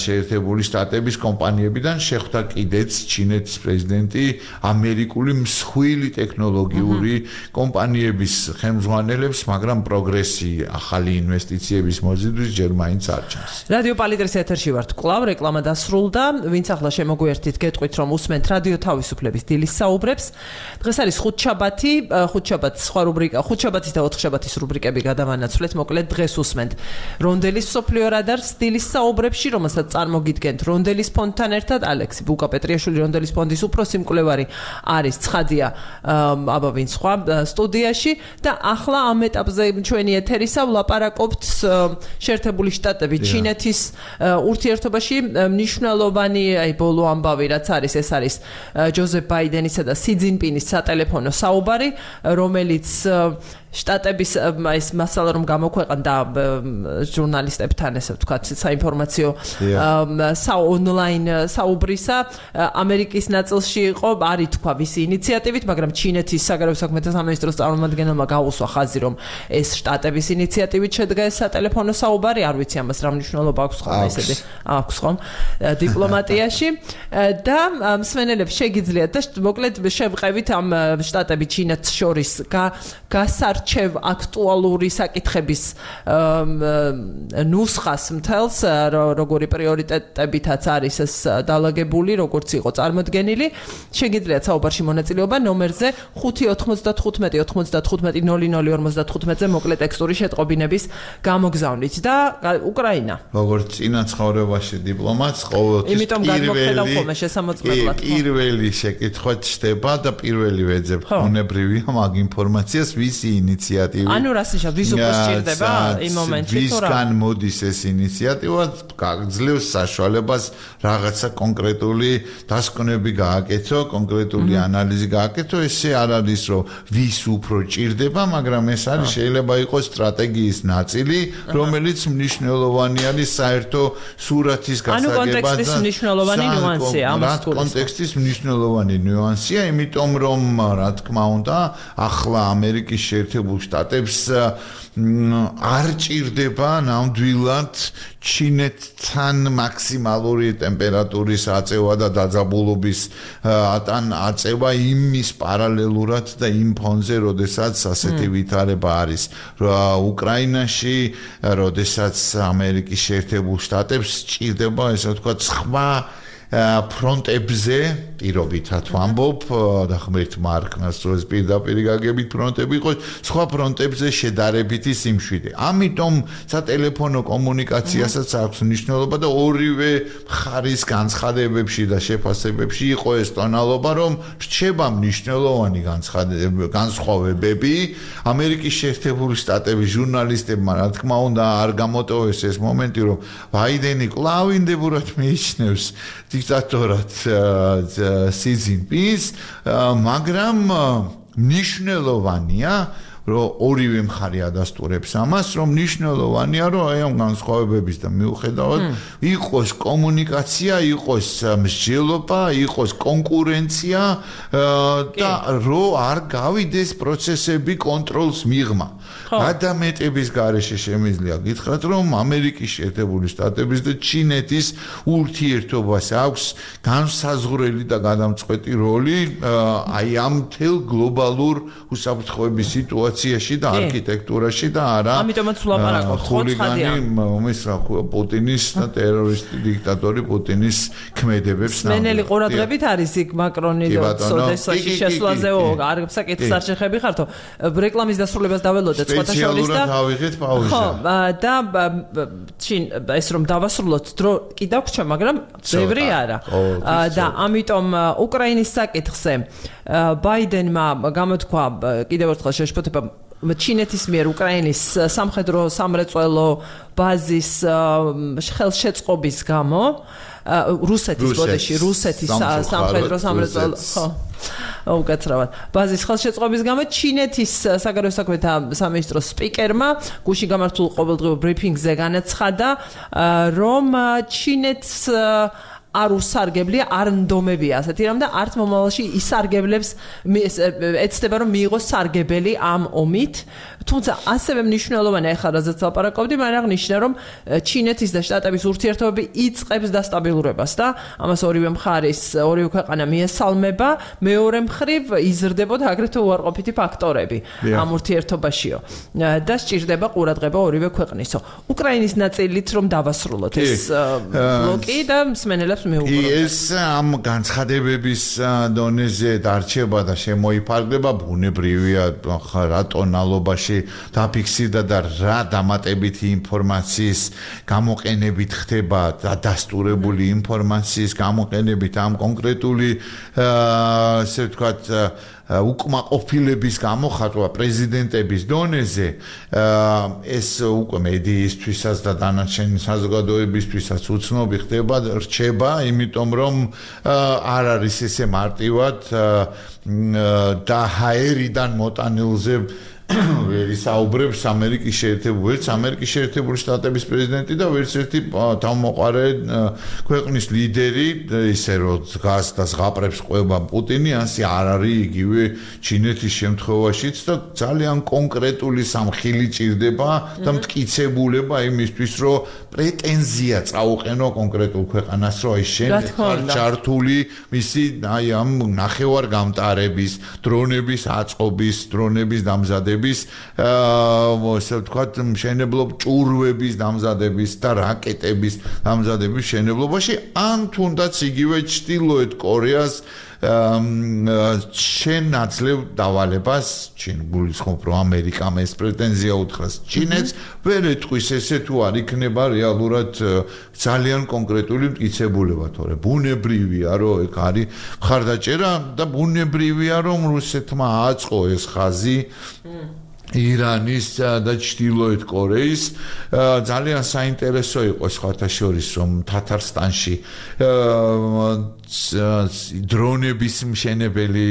შეერთებული შტატების კომპანიებიდან, შეხვდა კიდეც ჩინეთის პრეზიდენტი ამერიკული მსხვილი ტექნოლოგიური კომპანიების ხელმძღვანელებს, მაგრამ პროგრესი, ახალი ინვესტიციების მოზიდვის ჯერ მაინც არ ჩანს. რადიო პალიტრის ეთერში ვართ კვლავ, რეკლამა დასრულდა. ვინც ახლა შემოგვიერთით, გეტყვით რომ უსმენთ რადიო თავისუფლების დილის საუბრებს. დღეს არის ხუთშაბათი, ხუთშაბათის სხვა რუბრიკა, ხუთშაბათის და ოთხშაბათის რუბრიკები გადავანაცვლეთ. მოკლედ დღეს უსმენთ რონდელის მსოფლიო რადარს დილის საუბრებში, რომელსაც წარმოგიდგენთ რონდელის ფონდთან ერთად. ალექსი ბუკა-პეტრიაშვილი რონდელის ფონდის უფროსი მკვლევარი არის, ცხადია, აბა ვინ სხვა სტუდიაში და ახლა ამ ეტაპზე ჩვენი ეთერისა ვლაპარაკობთ შეერთებული შტატები ჩინეთის ურთიერთობაში მნიშვნელოვანი ბოლო ამბავი რაც არის, ეს არის ჯოზეფ ბაიდენისა და სი ძინპინის სატელეფონო საუბარი, რომელიც შტატების ეს მასალა რომ გამოქვეყნდა ჟურნალისტებთან, ესე ვთქვათ, საინფორმაციო ონლაინ საუბრისა, ამერიკის ნაწილში იყო, არის თქვა ვისი ინიციატივით, მაგრამ ჩინეთის საგარეო საქმეთა სამინისტროს წარმომადგენელმა გაუსვა ხაზი, რომ ეს შტატების ინიციატივით შედგა ეს სატელეფონო საუბარი, არ ვიცი ამას რა მნიშვნელობა აქვს ხომ ესეთი, აქვს ხომ დიპლომატიაში და მსმენელებს შეგიძლიათ და მოკლედ შევყევით ამ შტატები ჩინეთს შორის გასარჩევ აქტუალური საკითხების ნუსხას მთელს, როგორი პრიორიტეტებითაც არის ეს დალაგებული, როგორც იყო წარმოდგენილი. შეგიძლიათ საუბარში მონაწილეობა ნომერზე 595-95-00-55-ზე მოკლე ტექსტური შეტყობინების გამოგზავნით და უკრაინა. როგორც წინა ცხოვრებაში დიპლომატს ყოველთვის იმიტომ გადმოხდა ხოლმე შესამოწმებლად. პირველი შეკითხვა ჩდება და პირველი ვეძებ უნებრივია მაგ ინფორმაციას, ვისი ინიციატივი. ანუ რას ნიშნავს, ვის უფროს ჭირდება იმ მომენტში თუ რა? ვისგან მოდის ეს ინიციატივა, გაგძლევს საშუალებას რაღაცა კონკრეტული დასკვნები გააკეთო, კონკრეტული ანალიზი გააკეთო, ესე არ არის რომ ვის უფრო ჭირდება, მაგრამ ეს არის შეიძლება იყოს სტრატეგიის ნაწილი, რომელიც მნიშვნელოვანი არის საერთო სურათის გასაგებად. ანუ კონტექსტის მნიშვნელოვანი ნიუანსია ამას გულისხმობს. კონტექსტის მნიშვნელოვანი ნიუანსია, იმიტომ რომ რა თქმა უნდა, ახლა ამერიკის შეერთებულ შტატებს არ ჭირდება ნამდვილად ჩინეთთან მაქსიმალური ტემპერატურის აწევა და დაძაბულობის აწევა იმის პარალელურად და იმ ფონზე, როდესაც ასეთი ვითარება არის უკრაინაში, როდესაც ამერიკის შეერთებულ შტატებს ჭირდება, ესე ვთქვათ, სხვა ფრონტებზე პირობითად ვამბობ და ღმერთ მარკნას როეს პირდაპირ გაგებით ფრონტები იყოს, სხვა ფრონტებზე შედარებითი სიმშვიდე. ამიტომ სატელეფონო კომუნიკაციასაც აქვს მნიშვნელობა და ორივე მხარის განცხადებებში და შეფასებებში იყო ეს ტონალობა, რომ რჩება მნიშვნელოვანი განსხვავებები. ამერიკის შეერთებული შტატების ჟურნალისტებმა, რა თქმა უნდა, არ გამოტოვეს ეს მომენტი, რომ ბაიდენი კვლავ ინდებურად მიიჩნევს დიქტატორად სი ძინპინს, მაგრამ მნიშვნელოვანია, რომ ორივე მხარე ადასტურებს ამას, რომ მნიშვნელოვანია, რომ აი ამ განსხვავებების და მიუხედავად იყოს კომუნიკაცია, იყოს მსჯელობა, იყოს კონკურენცია და რომ არ გავიდეს პროცესები კონტროლს მიღმა. გადამეტების გარეშე შემიძლია გითხრათ, რომ ამერიკის შეერთებული შტატების და ჩინეთის ურთიერთობას აქვს განსაზღვრელი და გადამწყვეტი როლი აი ამ მთელ გლობალურ უსაფრთხოების სიტუაციაში და არქიტექტურაში და არა ამიტომაც ვლაპარაკობთ ხულიგანი პუტინის და ტერორისტი დიქტატორი პუტინის ქმედებებს მენელი ყურადღებით არის იქ მაკრონი და სოდესაში შესვლაზეო არ საკითხს არ შეხები ხართო რეკლამის დასრულებას დაველოდეთ სხვათა შორის და ავიღეთ პაუზა ხო და ეს რომ დავასრულოთ დრო კიდევ გრჩა მაგრამ ბევრი არა და ამიტომ უკრაინის საკითხზე ბაიდენმა გამოთქვა კიდევ ერთხელ შეშფოთება ჩინეთის მიერ უკრაინის სამხედრო სამრეწველო ბაზის ხელშეწყობის გამო რუსეთის სამხედრო სამრეწველო ხო უკაცრავად ბაზის ხელშეწყობის გამო ჩინეთის საგარეო საქმეთა სამინისტროს სპიკერმა გუშინ გამართულ ყოველდღიურ ბრიფინგზე განაცხადა რომ ჩინეთს არ უსარგებლია, არ ნდომებია ასეთი რამ და არც მომავალში ისარგებლებს ეცდება რომ მიიღოს სარგებელი ამ ომით. თუმცა ასევე მნიშვნელოვანია ახლა რაზეც ლაპარაკობდი, მაგრამ აღნიშნა რომ ჩინეთის და შტატების ურთიერთობები იწყებს დასტაბილურებას და ამას ორივე მხარის, ორივე ქვეყანა მიესალმება, მეორე მხრივ იზრდებოდა აგრეთვე უარყოფითი ფაქტორები ამ ურთიერთობაშიო და სჭირდება ყურადღება ორივე ქვეყნისო. უკრაინის ნაწილით რომ დავასრულოთ ეს ბლოკი და მსმენელებს მეუღროთ. ეს ამ განცხადებების დონეზე დარჩება და შემოიფარგლება ბუნებრივია რა ტონალობაში დაფიქსირდა და რა დამატებითი ინფორმაციის გამოყენებით ხდება დადასტურებული ინფორმაციის გამოყენებით ამ კონკრეტული ასე ვთქვათ უკმაყოფილების გამოხატვა პრეზიდენტების დონეზე ეს უკვე მედიისთვისაც და დანარჩენი საზოგადოებისთვისაც უცნობი ხდება რჩება იმიტომ რომ არ არის ესე მარტივად და ჰაერიდან მოტანილზე ვერ ისაუბრებს ამერიკის შეერთებული შტატების პრეზიდენტი და ვერც ერთი თავმოყარე ქვეყნის ლიდერი ისე რომ დგას და ზღაპრებს ყვება პუტინი ასე არ არის იგივე ჩინეთის შემთხვევაშიც და ძალიან კონკრეტული სამხილი ჭირდება და მტკიცებულება იმისთვის რომ პრეტენზია წაუყენო კონკრეტულ ქვეყანას რომ აი შენ ხარ ჩართული მისი აი ამ ნახევარ გამტარების დრონების აწყობის დრონების დამზადების ასე ვთქვათ მშენებლობ ჭურვების დამზადების და რაკეტების დამზადების მშენებლობაში ან თუნდაც იგივე ჩრდილოეთ კორეას შენ აძლევ დავალებას ჩინ გულისხმობ რომ ამერიკამ ეს პრეტენზია უთხრას ჩინეთს ვერ ეტყვის ესე თუ არ იქნება რეალურად ძალიან კონკრეტული მტკიცებულება თორე ბუნებრივია რომ ეგ არის მხარდაჭერა და ბუნებრივია რომ რუსეთმა აწყო ეს ხაზი ირანის და ჩრდილოეთ კორეის ძალიან საინტერესო იყო სხვათა შორის რომ თათარსტანში დრონების მშენებელი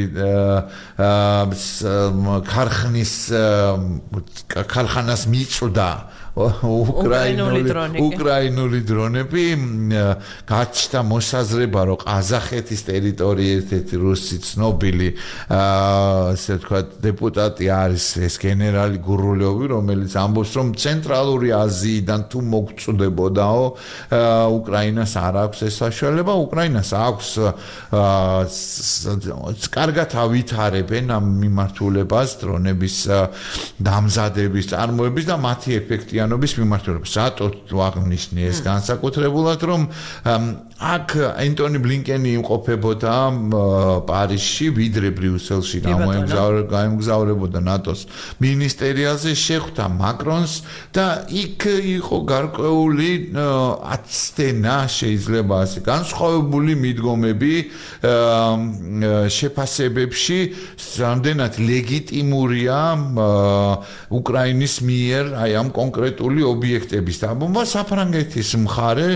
ქარხანას მიწვდა უკრაინული დრონები გაჩნდა მოსაზრება რომ ყაზახეთის ტერიტორიაზე ერთ-ერთი რუსი ცნობილი ასე ვთქვათ დეპუტატი არის ეს გენერალი გურულოვი რომელიც ამბობს რომ ცენტრალური აზიიდან თუ მოგწვდებოდაო უკრაინას არ აქვს ეს საშუალება უკრაინას აქვს კარგად ავითარებენ ამ მიმართულებას დრონების დამზადების წარმოების და მათი ეფექტიანობის მიმართულებას. რატო აღნიშნე ეს განსაკუთრებულად რომ აქ ენტონი ბლინკენი იმყოფებოდა პარიზში ვიდრე ბრიუსელში გამოგზაურებოდა ნატოს მინისტერიალზე შეხვდა მაკრონს და იქ იყო გარკვეული აცდენა შეიძლება ასე განსხვავებული მიდგომები შეფასებებში რამდენად ლეგიტიმურია უკრაინის მიერ აი ამ კონკრეტული ობიექტების დაბომბვა საფრანგეთის მხარე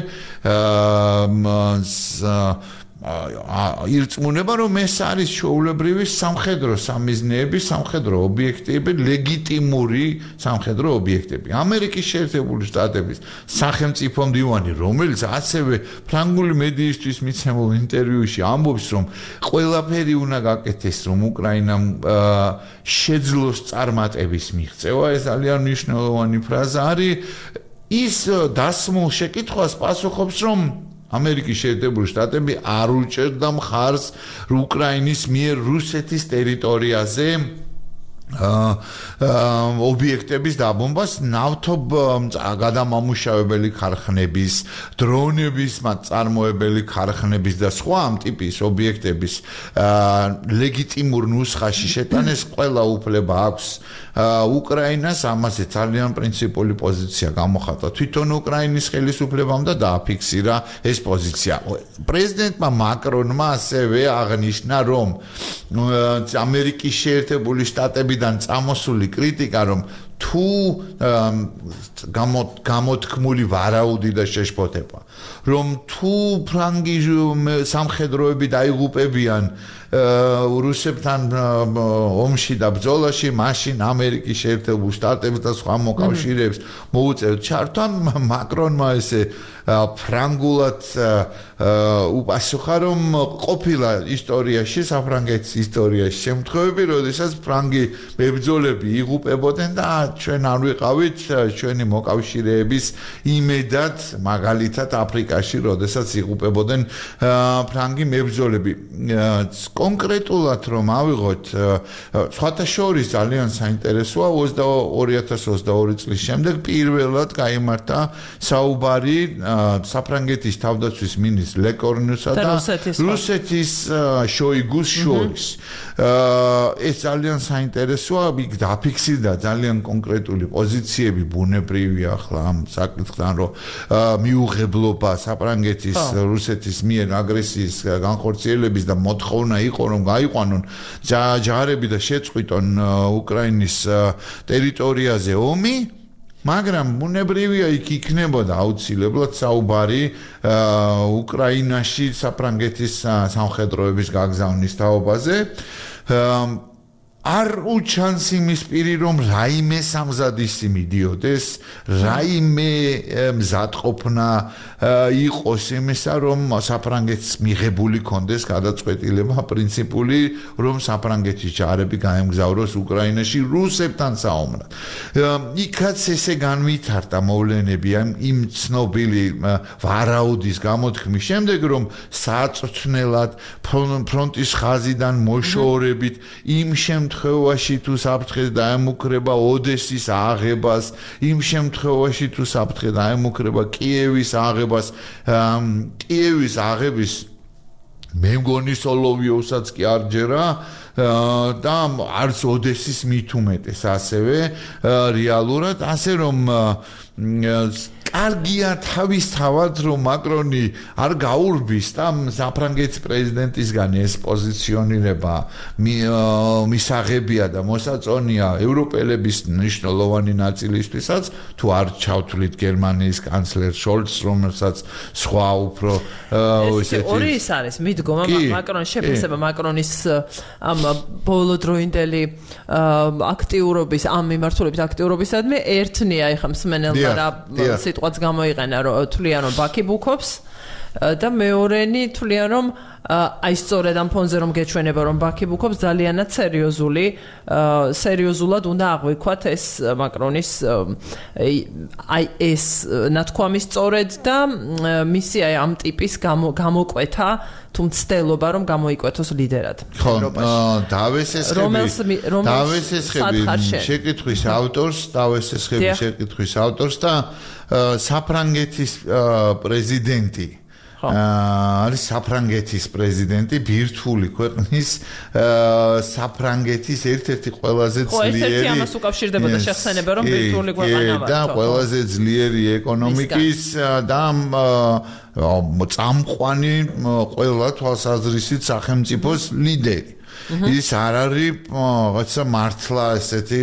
ირწმუნება რომ ეს არის ჩვეულებრივი სამხედრო სამიზნეები, სამხედრო ობიექტები, ლეგიტიმური სამხედრო ობიექტები. ამერიკის შეერთებული შტატების სახელმწიფო მდივანი, რომელიც ასევე ფრანგული მედიისთვის მიცემულ ინტერვიუში ამბობს, რომ ყველაფერი უნდა გაკეთდეს, რომ უკრაინამ შეძლოს წარმატების მიღწევა, ეს ძალიან მნიშვნელოვანი ფრაზა არის. ის დასმულ შეკითხვას პასუხობს, რომ ამერიკის შეერთებული შტატები არ უჭერდა მხარს უკრაინის მიერ რუსეთის ტერიტორიაზე ობიექტების დაბომბას ნავთობგადამამუშავებელი ქარხნების, დრონების წარმოებელი ქარხნების და სხვა ამ ტიპის ობიექტების ლეგიტიმურ ნუსხაში შეტანეს ყველა უფლება აქვს უკრაინას, ამაზე ძალიან პრინციპული პოზიცია გამოხატა თვითონ უკრაინის ხელისუფლებამ და დააფიქსირა ეს პოზიცია. პრეზიდენტმა მაკრონმა ასევე აღნიშნა, რომ ამერიკის შეერთებული შტატებიდან წამოსული კრიტიკა, რომ თუ გამოთქმული ვარაუდი და შეშფოთება, რომ თუ ფრანგი სამხედროები დაიღუპებიან რუსებთან ომში და ბრძოლაში, მაშინ ამერიკის შეერთებულ შტატებს და სხვა მოკავშირეებს მოუწევთ ჩართვა, მაკრონმა ესე ფრანგულად უპასუხა, რომ ყოფილა ისტორიაში, საფრანგეთის ისტორიაში შემთხვევები, როდესაც ფრანგი მებრძოლები იღუპებოდნენ და ჩვენ არ ვიყავით ჩვენი მოკავშირეების იმედად, მაგალითად აფრიკაში, როდესაც იღუპებოდნენ ფრანგი მებრძოლები. კონკრეტულად რომ ავიღოთ, სხვათა შორის ძალიან საინტერესოა 2022 წლის შემდეგ პირველად გაიმართა საუბარი საფრანგეთის თავდაცვის მინისტრ ლეკორნიუსა და რუსეთის შოიგუს შორის. ეს ძალიან საინტერესოა, იქ დაფიქსირდა ძალიან კონკრეტული პოზიციები, ბუნებრივია ახლა ამ საკითხთან, რომ მიუღებლობა საფრანგეთის რუსეთის მიერ აგრესიის განხორციელების და მოთხოვნა იყო, რომ გაიყვანონ ჯარები და შეწყვიტონ უკრაინის ტერიტორიაზე ომი. მაგრამ ბუნებრივია იქ იქნებოდა აუცილებლად საუბარი უკრაინაში საფრანგეთის სამხედროების გაგზავნის თაობაზე. არ უჩანს იმის პირი, რომ რაიმე სამზადისი მიდიოდეს, რაიმე მზადყოფნა იყოს იმისა, რომ საფრანგეთს მიღებული კონდეს გადაწყვეტილება პრინციპული, რომ საფრანგეთის ჯარები გაემგზავროს უკრაინაში რუსებთან საომრად. იქაც ესე განვითარდა მოვლენები იმ ცნობილი ვარაუდის გამოთქმის შემდეგ, რომ საწვრთნელად ფრონტის ხაზიდან მოშორებით იმ შემთხვევაში თუ საფრთხე დაემუქრება ოდესის აღებას, იმ შემთხვევაში თუ საფრთხე დაემუქრება კიევის აღებას, კიევის აღების მე მგონი სოლოვიოვსაც კი არ ჯერა და არც ოდესის მით უმეტეს ასევე რეალურად, ასე რომ კარგია თავისთავად, რომ მაკრონი არ გაურბის და საფრანგეთის პრეზიდენტისგან ეს პოზიციონირება მისაღებია და მოსაწონია ევროპელების მნიშვნელოვანი ნაწილისთვისაც, თუ არ ჩავთვლით გერმანიის კანცლერ შოლცს, რომელსაც სხვა უფრო ესეთი ორი ის არის, მიდგომა მაკრონის შეფასება მაკრონის ამ ბოლოდროინდელი აქტიურობის, ამ მიმართულებით აქტიურობისადმი ერთნია ეხა მსმენელმა რა სიტყვაც გამოიყენა, რომ თვლიან რომ ბაქი ბუქობს და მეორენი თვლიან რომ აი სწორედ ამ ფონზე რომ გეჩვენება რომ ბაქი ბუქობს ძალიანად სერიოზულად უნდა აღვიქვათ ეს მაკრონის აი ეს ნათქვამი სწორედ და მისი აი ამ ტიპის გამოკვეთა თუ მცდელობა რომ გამოიკვეთოს ლიდერად დავესესხები შეკითხვის ავტორს და საფრანგეთის პრეზიდენტი არის საფრანგეთის პრეზიდენტი ბირთვული ქვეყნის საფრანგეთის ერთ-ერთი ყველაზე ძლიერი ერთ-ერთი ამას უკავშირდებოდა შეხსენება რომ ბირთვული ქვეყანა ვარ და ყველაზე ძლიერი ეკონომიკის და წამყვანი ყველა თვალსაზრისით სახელმწიფოს ლიდერი. ის არ არის რაღაცა მართლა ესეთი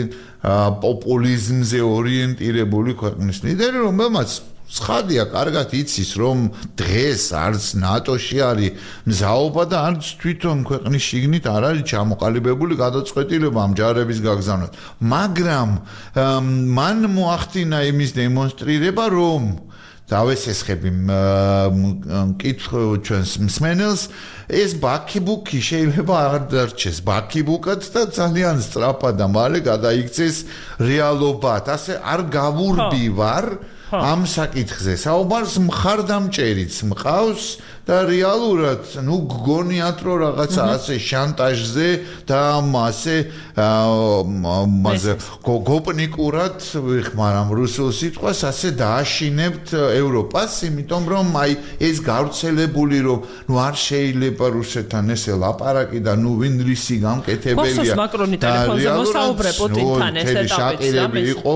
პოპულიზმზე ორიენტირებული ქვეყნის ლიდერი, რომელმაც ცხადია, კარგად იცის, რომ დღეს არც ნატოში არის მზაობა და არც თვითონ ქვეყნის შიგნით არ არის ჩამოყალიბებული გადაწყვეტილება ამ ჯარების გაგზავნას. მაგრამ მან მოახდინა იმის დემონსტრირება, რომ დავესესხები მკითხო ჩვენს მსმენელს, ეს ბაქიბუკი შეიძლება არ დარჩეს ბაქიბუკად და ძალიან სწრაფად და მალე გადაიქცეს რეალობად. ასე არ გავურბივარ ამ საკითხზე. საუბარს მხარდამჭერიც მყავს და რეალურად, გგონიათ რომ რაღაცა ასე შანტაჟზე და ასე გოპნიკურად ვიხმარამ რუსულ სიტყვას, ასე დააშინებთ ევროპას, იმიტომ რომ აი ეს გავრცელებული რომ არ შეიძლება რუსეთთან ესე ლაპარაკი და ვინ რისი გამკეთებელია. მაკრონი ტელეფონზე მოსაუბრე პუტინთან ეს ეტაპიც იყო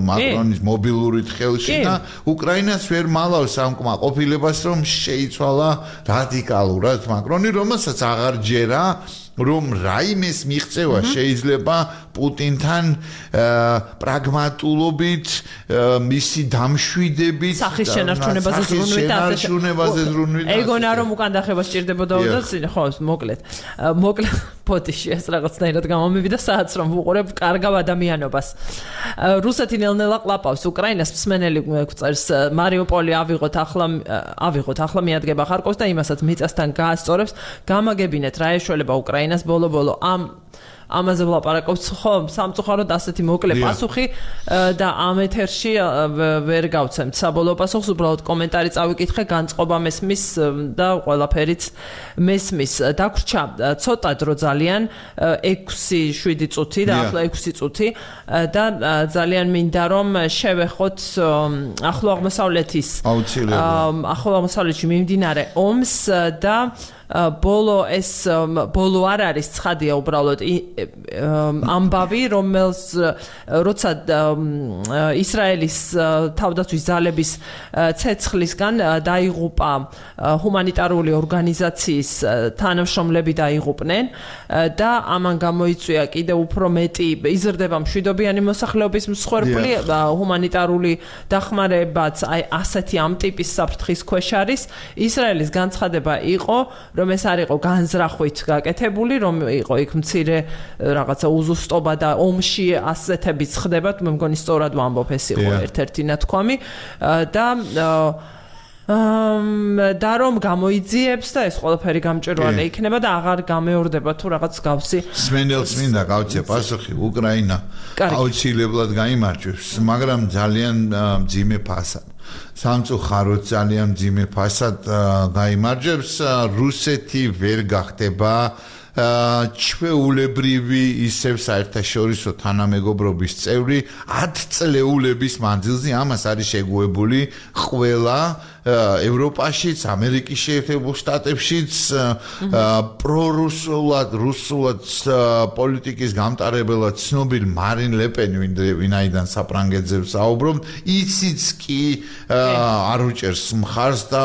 მაკრონის მობილური ხელში და უკრაინას ვერ მალავს ამ კმაყოფილებას რომ შეიცვალა რადიკალურად მაკრონი, რომელსაც აღარ ჯერა რომ რაიმეს მიღწევა შეიძლება პუტინთან პრაგმატულობით, მისი დამშვიდებით, სახის შენარჩუნებაზე ზრუნვით და ასე. ეგონა რომ უკან დახება სჭირდებოდა და ხო, მოკლედ პოტიში ეს რაღაცნაირად გამომივიდა საათს რომ ვუყურებ კარგავ ადამიანობას. რუსეთი ნელ-ნელა ყლაპავს უკრაინას, მსმენელი გვწერს მარიუპოლი ავიღოთ ახლა მიადგება ხარკოვს და იმასაც მიწასთან გაასწორებს. გამაგებინეთ რა ეშველება უკრაინას ბოლო-ბოლო ამაზე ვლაპარაკობთ ხო სამწუხაროდ ასეთი მოკლე პასუხი და ამ ეთერში ვერ გავცემთ საბოლოო პასუხს უბრალოდ კომენტარი წავიკითხე განწყობა მესმის და ყველაფერიც მესმის დაგვრჩა ცოტა დრო ძალიან 6-7 წუთი და ახლა 6 წუთი და ძალიან მინდა რომ შევეხოთ ახლო აღმოსავლეთში მიმდინარე ომს და ბოლო არ არის ცხადია უბრალოდ ამბავი რომელს როცა ისრაელის თავდაცვის ძალების ცეცხლისგან დაიღუპა ჰუმანიტარული ორგანიზაციის თანამშრომლები დაიღუპნენ და ამან გამოიწვია კიდევ უფრო მეტი იზრდება მშვიდობიანი მოსახლეობის მსხვერპლი ჰუმანიტარული დახმარებაც აი ასეთი ამ ტიპის საფრთხის ქვეშ არის ისრაელის განცხადება იყო რომ ეს არ იყო განზრახვით გაკეთებული, რომ იყო იქ მცირე რაღაცა უზუსტობა და ომში ასეთებიც ხდება, მე მგონი სწორად ვამბობ ეს იყო ერთ-ერთი ნათქვამი და რომ გამოიძიებს და ეს ყველაფერი გამჭვირვალე იქნება და აღარ გამეორდება თუ რაღაც გავსი. სმენელს მინდა გავცე პასუხი უკრაინა აუცილებლად გაიმარჯვებს, მაგრამ ძალიან მძიმე ფასად. სამწუხაროდ ძალიან მძიმე ფასად გაიმარჯვებს, რუსეთი ვერ გახდება ჩვეულებრივი ისევ საერთაშორისო თანამეგობრობის წევრი 10 წლეულების მანძილზე ამას არის შეგუებული ყველა ევროპაშიც, ამერიკის შეერთებულ შტატებშიც პრორუსულად, რუსულად პოლიტიკის გამტარებელად ცნობილ მარინ ლეპენი, ვინაიდან საფრანგეთზე საუბრობ, ისიც კი არ უჭერს მხარს და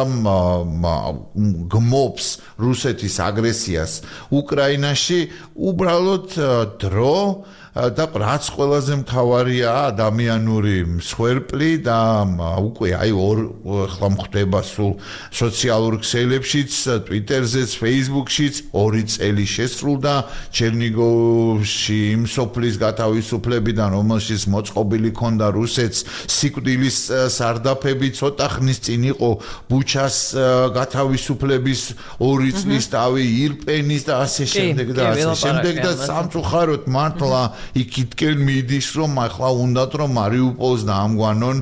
გმობს რუსეთის აგრესიას უკრაინაში, უბრალოდ დრო და რაც ყველაზე მთავარია ადამიანური მსხვერპლი და უკვე აი ხლა მხდება სულ სოციალურ ქსელებშიც, ტვიტერზეც, ფეისბუქშიც 2 წელი შესრულდა ჩერნიგოვში იმ სოფლის გათავისუფლებიდან, რომელშიც მოწყობილი ქონდა რუსეთს სიკვდილის სარდაფები, ცოტა ხნის წინ იყო ბუჩას გათავისუფლების 2 წლის თავი, ირპენის და ასე შემდეგ და ასე შემდეგ და სამწუხაროდ მართლა იქითკენ მიდის რომ ახლა უნდათ რომ მარიუპოლს დაამგვანონ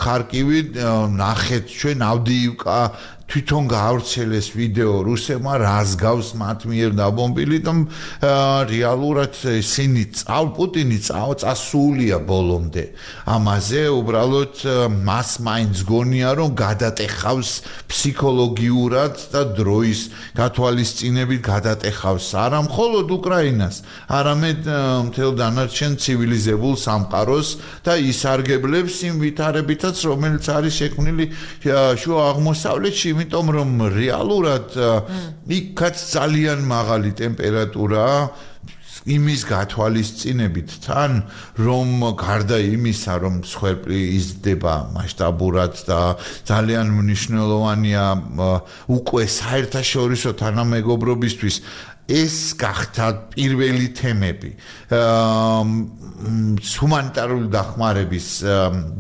ხარკივი ნახეთ ჩვენ ავდიივკა თვითონ გაავრცელეს ვიდეო რუსებმა რას გავს მათ მიერ დაბომბილი და რეალურად ისინი პუტინი წასულია ბოლომდე ამაზე უბრალოდ მას მაინც გონია რომ გადატეხავს ფსიქოლოგიურად და დროის გათვალისწინებით გადატეხავს არა მხოლოდ უკრაინას არამედ მთელ დანარჩენ ცივილიზებულ სამყაროს და ისარგებლებს იმ ვითარებითაც რომელიც არის შექმნილი შუა აღმოსავლეთში იმიტომ რომ რეალურად იქაც ძალიან მაღალი ტემპერატურაა იმის გათვალისწინებით თან რომ გარდა იმისა რომ მსხვერპლი იზრდება მასშტაბურად და ძალიან მნიშვნელოვანია უკვე საერთაშორისო თანამეგობრობისთვის ეს გახდა პირველი თემები ჰუმანიტარული დახმარების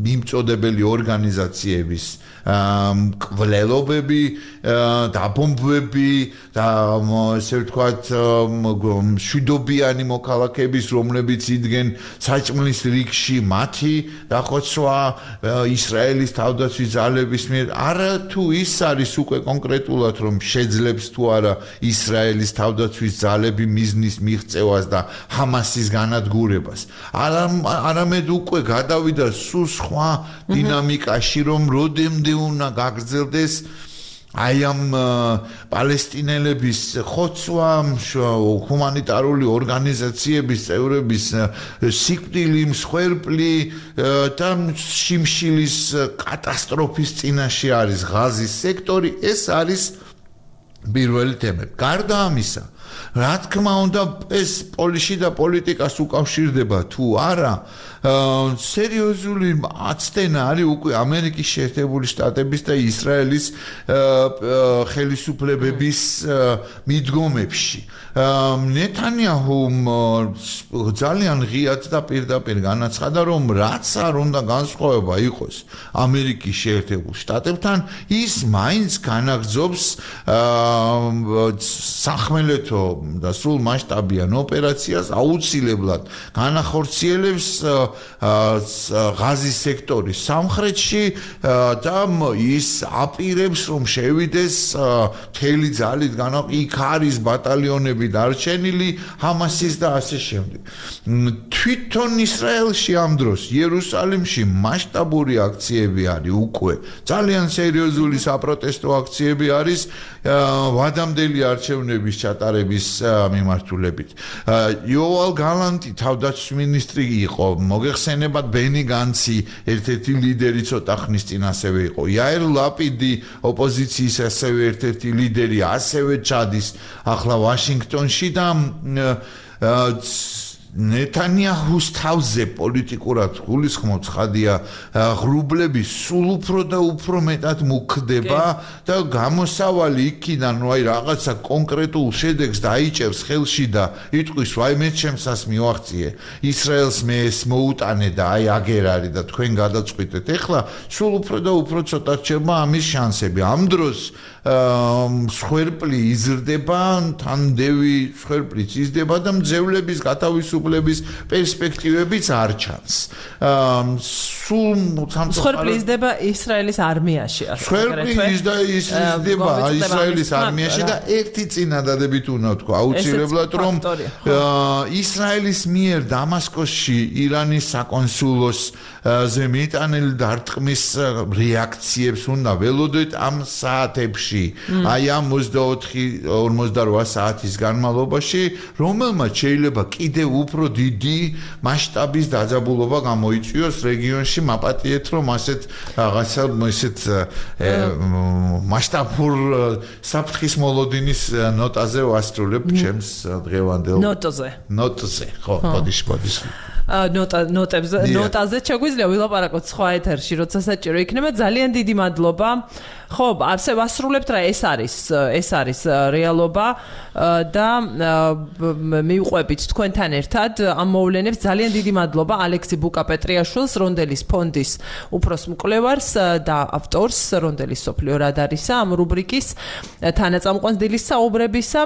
მიმწოდებელი ორგანიზაციების კვლელობები დაბომბვები და ესე ვთქვათ მშვიდობიანი მოქალაქეების რომლებიც იდგენ საჭმლის რიგში მათი დახოცვა ისრაელის თავდაცვის ძალების მიერ არა თუ ის არის უკვე კონკრეტულად რომ შეძლებს თუ არა ისრაელის თავდაცვის ძალები მიზნის მიღწევას და ჰამასის განადგურებას არამედ უკვე გადავიდა სულ სხვა დინამიკაში რომ როდემდე უნდა გაგრძელდეს აი ამ პალესტინელების ხოცვა ჰუმანიტარული ორგანიზაციების წევრების სიკვდილი მსხვერპლი და შიმშილის კატასტროფის წინაშე არის ღაზის სექტორი ეს არის პირველი თემები. გარდა ამისა, რა თქმა უნდა, ეს პოლიში და პოლიტიკას უკავშირდება თუ არა, სერიოზული აცდენა არის უკვე ამერიკის შეერთებული შტატების და ისრაელის ხელისუფლებების მიდგომებში. ნეთანიაჰუმ ძალიან ღიად და პირდაპირ განაცხადა, რომ რაც არ უნდა განსხვავება იყოს ამერიკის შეერთებულ შტატებთან, ის მაინც განაგრძობს სახმელეთო და სრულ მასშტაბიან ოპერაციას, აუცილებლად განახორციელებს ღაზის სექტორის სამხრეთში და ის აპირებს, რომ შევიდეს მთელი ძალით იქ არის ბატალიონები დარჩენილი ჰამასის და ასე შემდეგ. თვითონ ისრაელში ამ დროს იერუსალიმში მასშტაბური აქციები არის უკვე. ძალიან სერიოზული საპროტესტო აქციები არის ვადამდელი არჩევნების ჩატარების მიმართულებით. იოვალ გალანტი თავდაცვის მინისტრი იყო, მოგეხსენებათ ბენი განცი ერთ-ერთი ლიდერი ცოტა ხნის წინ ასევე იყო. იაირ ლაპიდი ოპოზიციის ასევე ერთ-ერთი ლიდერი ასევე ჩადის ახლა ვაშინგტონში და ნეთანიაჰუს თავზე პოლიტიკურად გულისხმობ ცხადია ღრუბლები სულ უფრო და უფრო მეტად მუქდება და გამოსავალი იქიდან აი რაღაცა კონკრეტულ შედეგს დაიჭერს ხელში და იტყვის ვაი მე ჩემსას მივაღწიე ისრაელს მე ეს მოუტანე და აი აგერ არის და თქვენ გადაწყვიტეთ ეხლა სულ უფრო და უფრო ცოტა რჩება ამის შანსები ამ დროს სხერპლი იზრდება თანდევი სხერპლიც იზრდება და მძევლების გათავისუფლების პერსპექტივებიც არ ჩანს სულ სხერპლი იზრდება ისრაელის არმიაში სხერპლი იზრდება ისრაელის არმიაში და ერთი წინადადებით უნდა ვთქვა აუცილებლად რომ ისრაელის მიერ დამასკოსში ირანის საკონსულოს ზე მიტანილი დარტყმის რეაქციებს უნდა ველოდეთ ამ საათებში აი ამ 24-48 საათის განმავლობაში რომელმაც შეიძლება კიდევ უფრო დიდი მასშტაბის დაძაბულობა გამოიწვიოს რეგიონში მაპატიეთ რომ ასეთ რაღაცა ესეთ მასშტაბურ საფრთხის მოლოდინის ნოტაზე ვასრულებ ჩემს დღევანდელ ნოტზე ხო ბოდიშ ნოტაზე შეგვიძლია ვილაპარაკოთ სხვა ეთერში როცა საჭირო იქნება ძალიან დიდი მადლობა ხო ასე ვასრულებთ რა ეს არის რეალობა და მივყვებით თქვენთან ერთად ამ მოვლენებს ძალიან დიდი მადლობა ალექსი ბუკა-პეტრიაშვილს რონდელის ფონდის უფროს მკვლევარს და ავტორს რონდელის სოფლიო რადარისა ამ რუბრიკის თანაწამყვანს საუბრებისა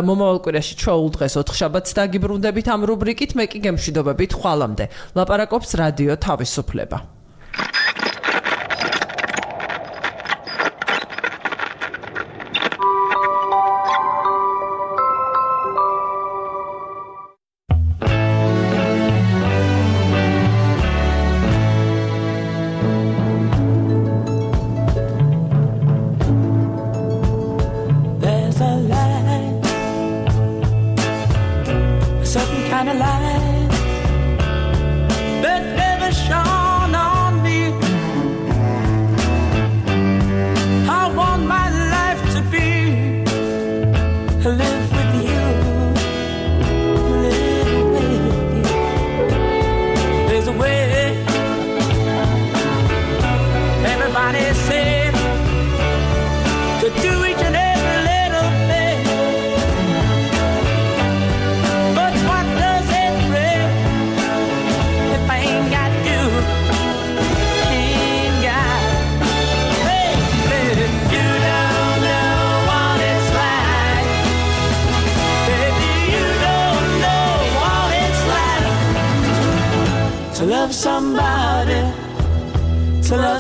მომავალ კვირაში ჩვეულ დღეს 4 შაბათს დაგიბრუნდებით ამ რუბრიკით მე კი გემშვიდობებით ხვალამდე ლაპარაკობს რადიო თავისუფლება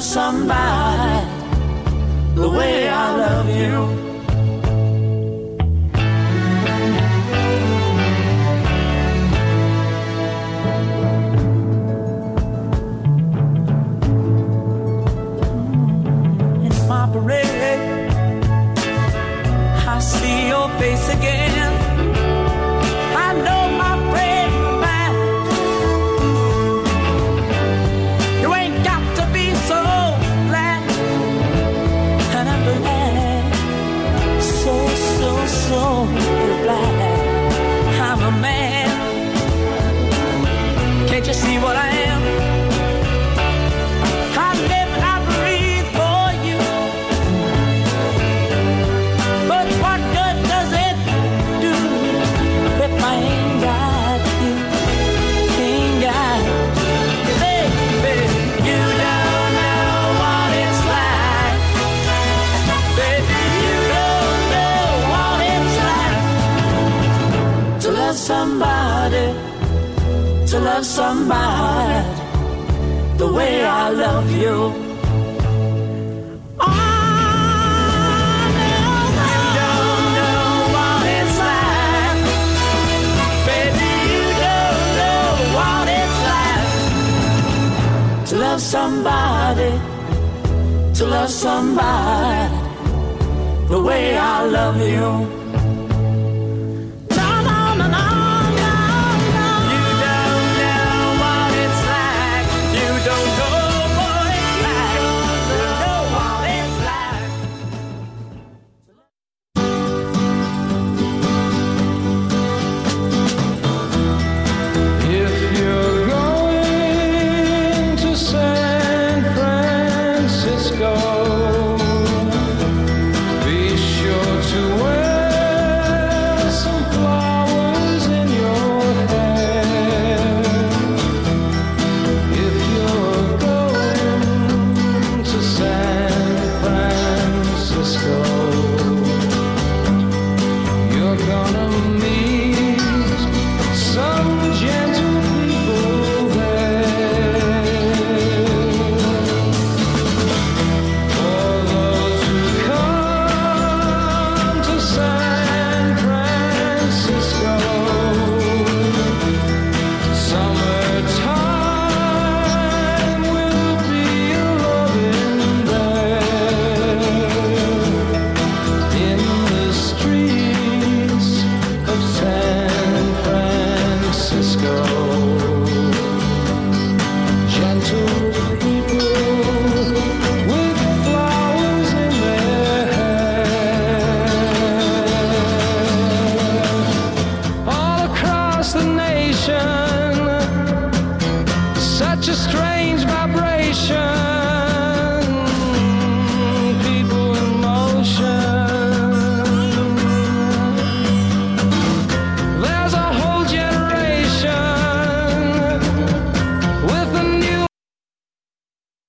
somebody the way I love you. In my parade, I see your face again. I know my friend of mine. You ain't got to be so glad, and I'm glad love somebody the way I love you. To love somebody the way I love you.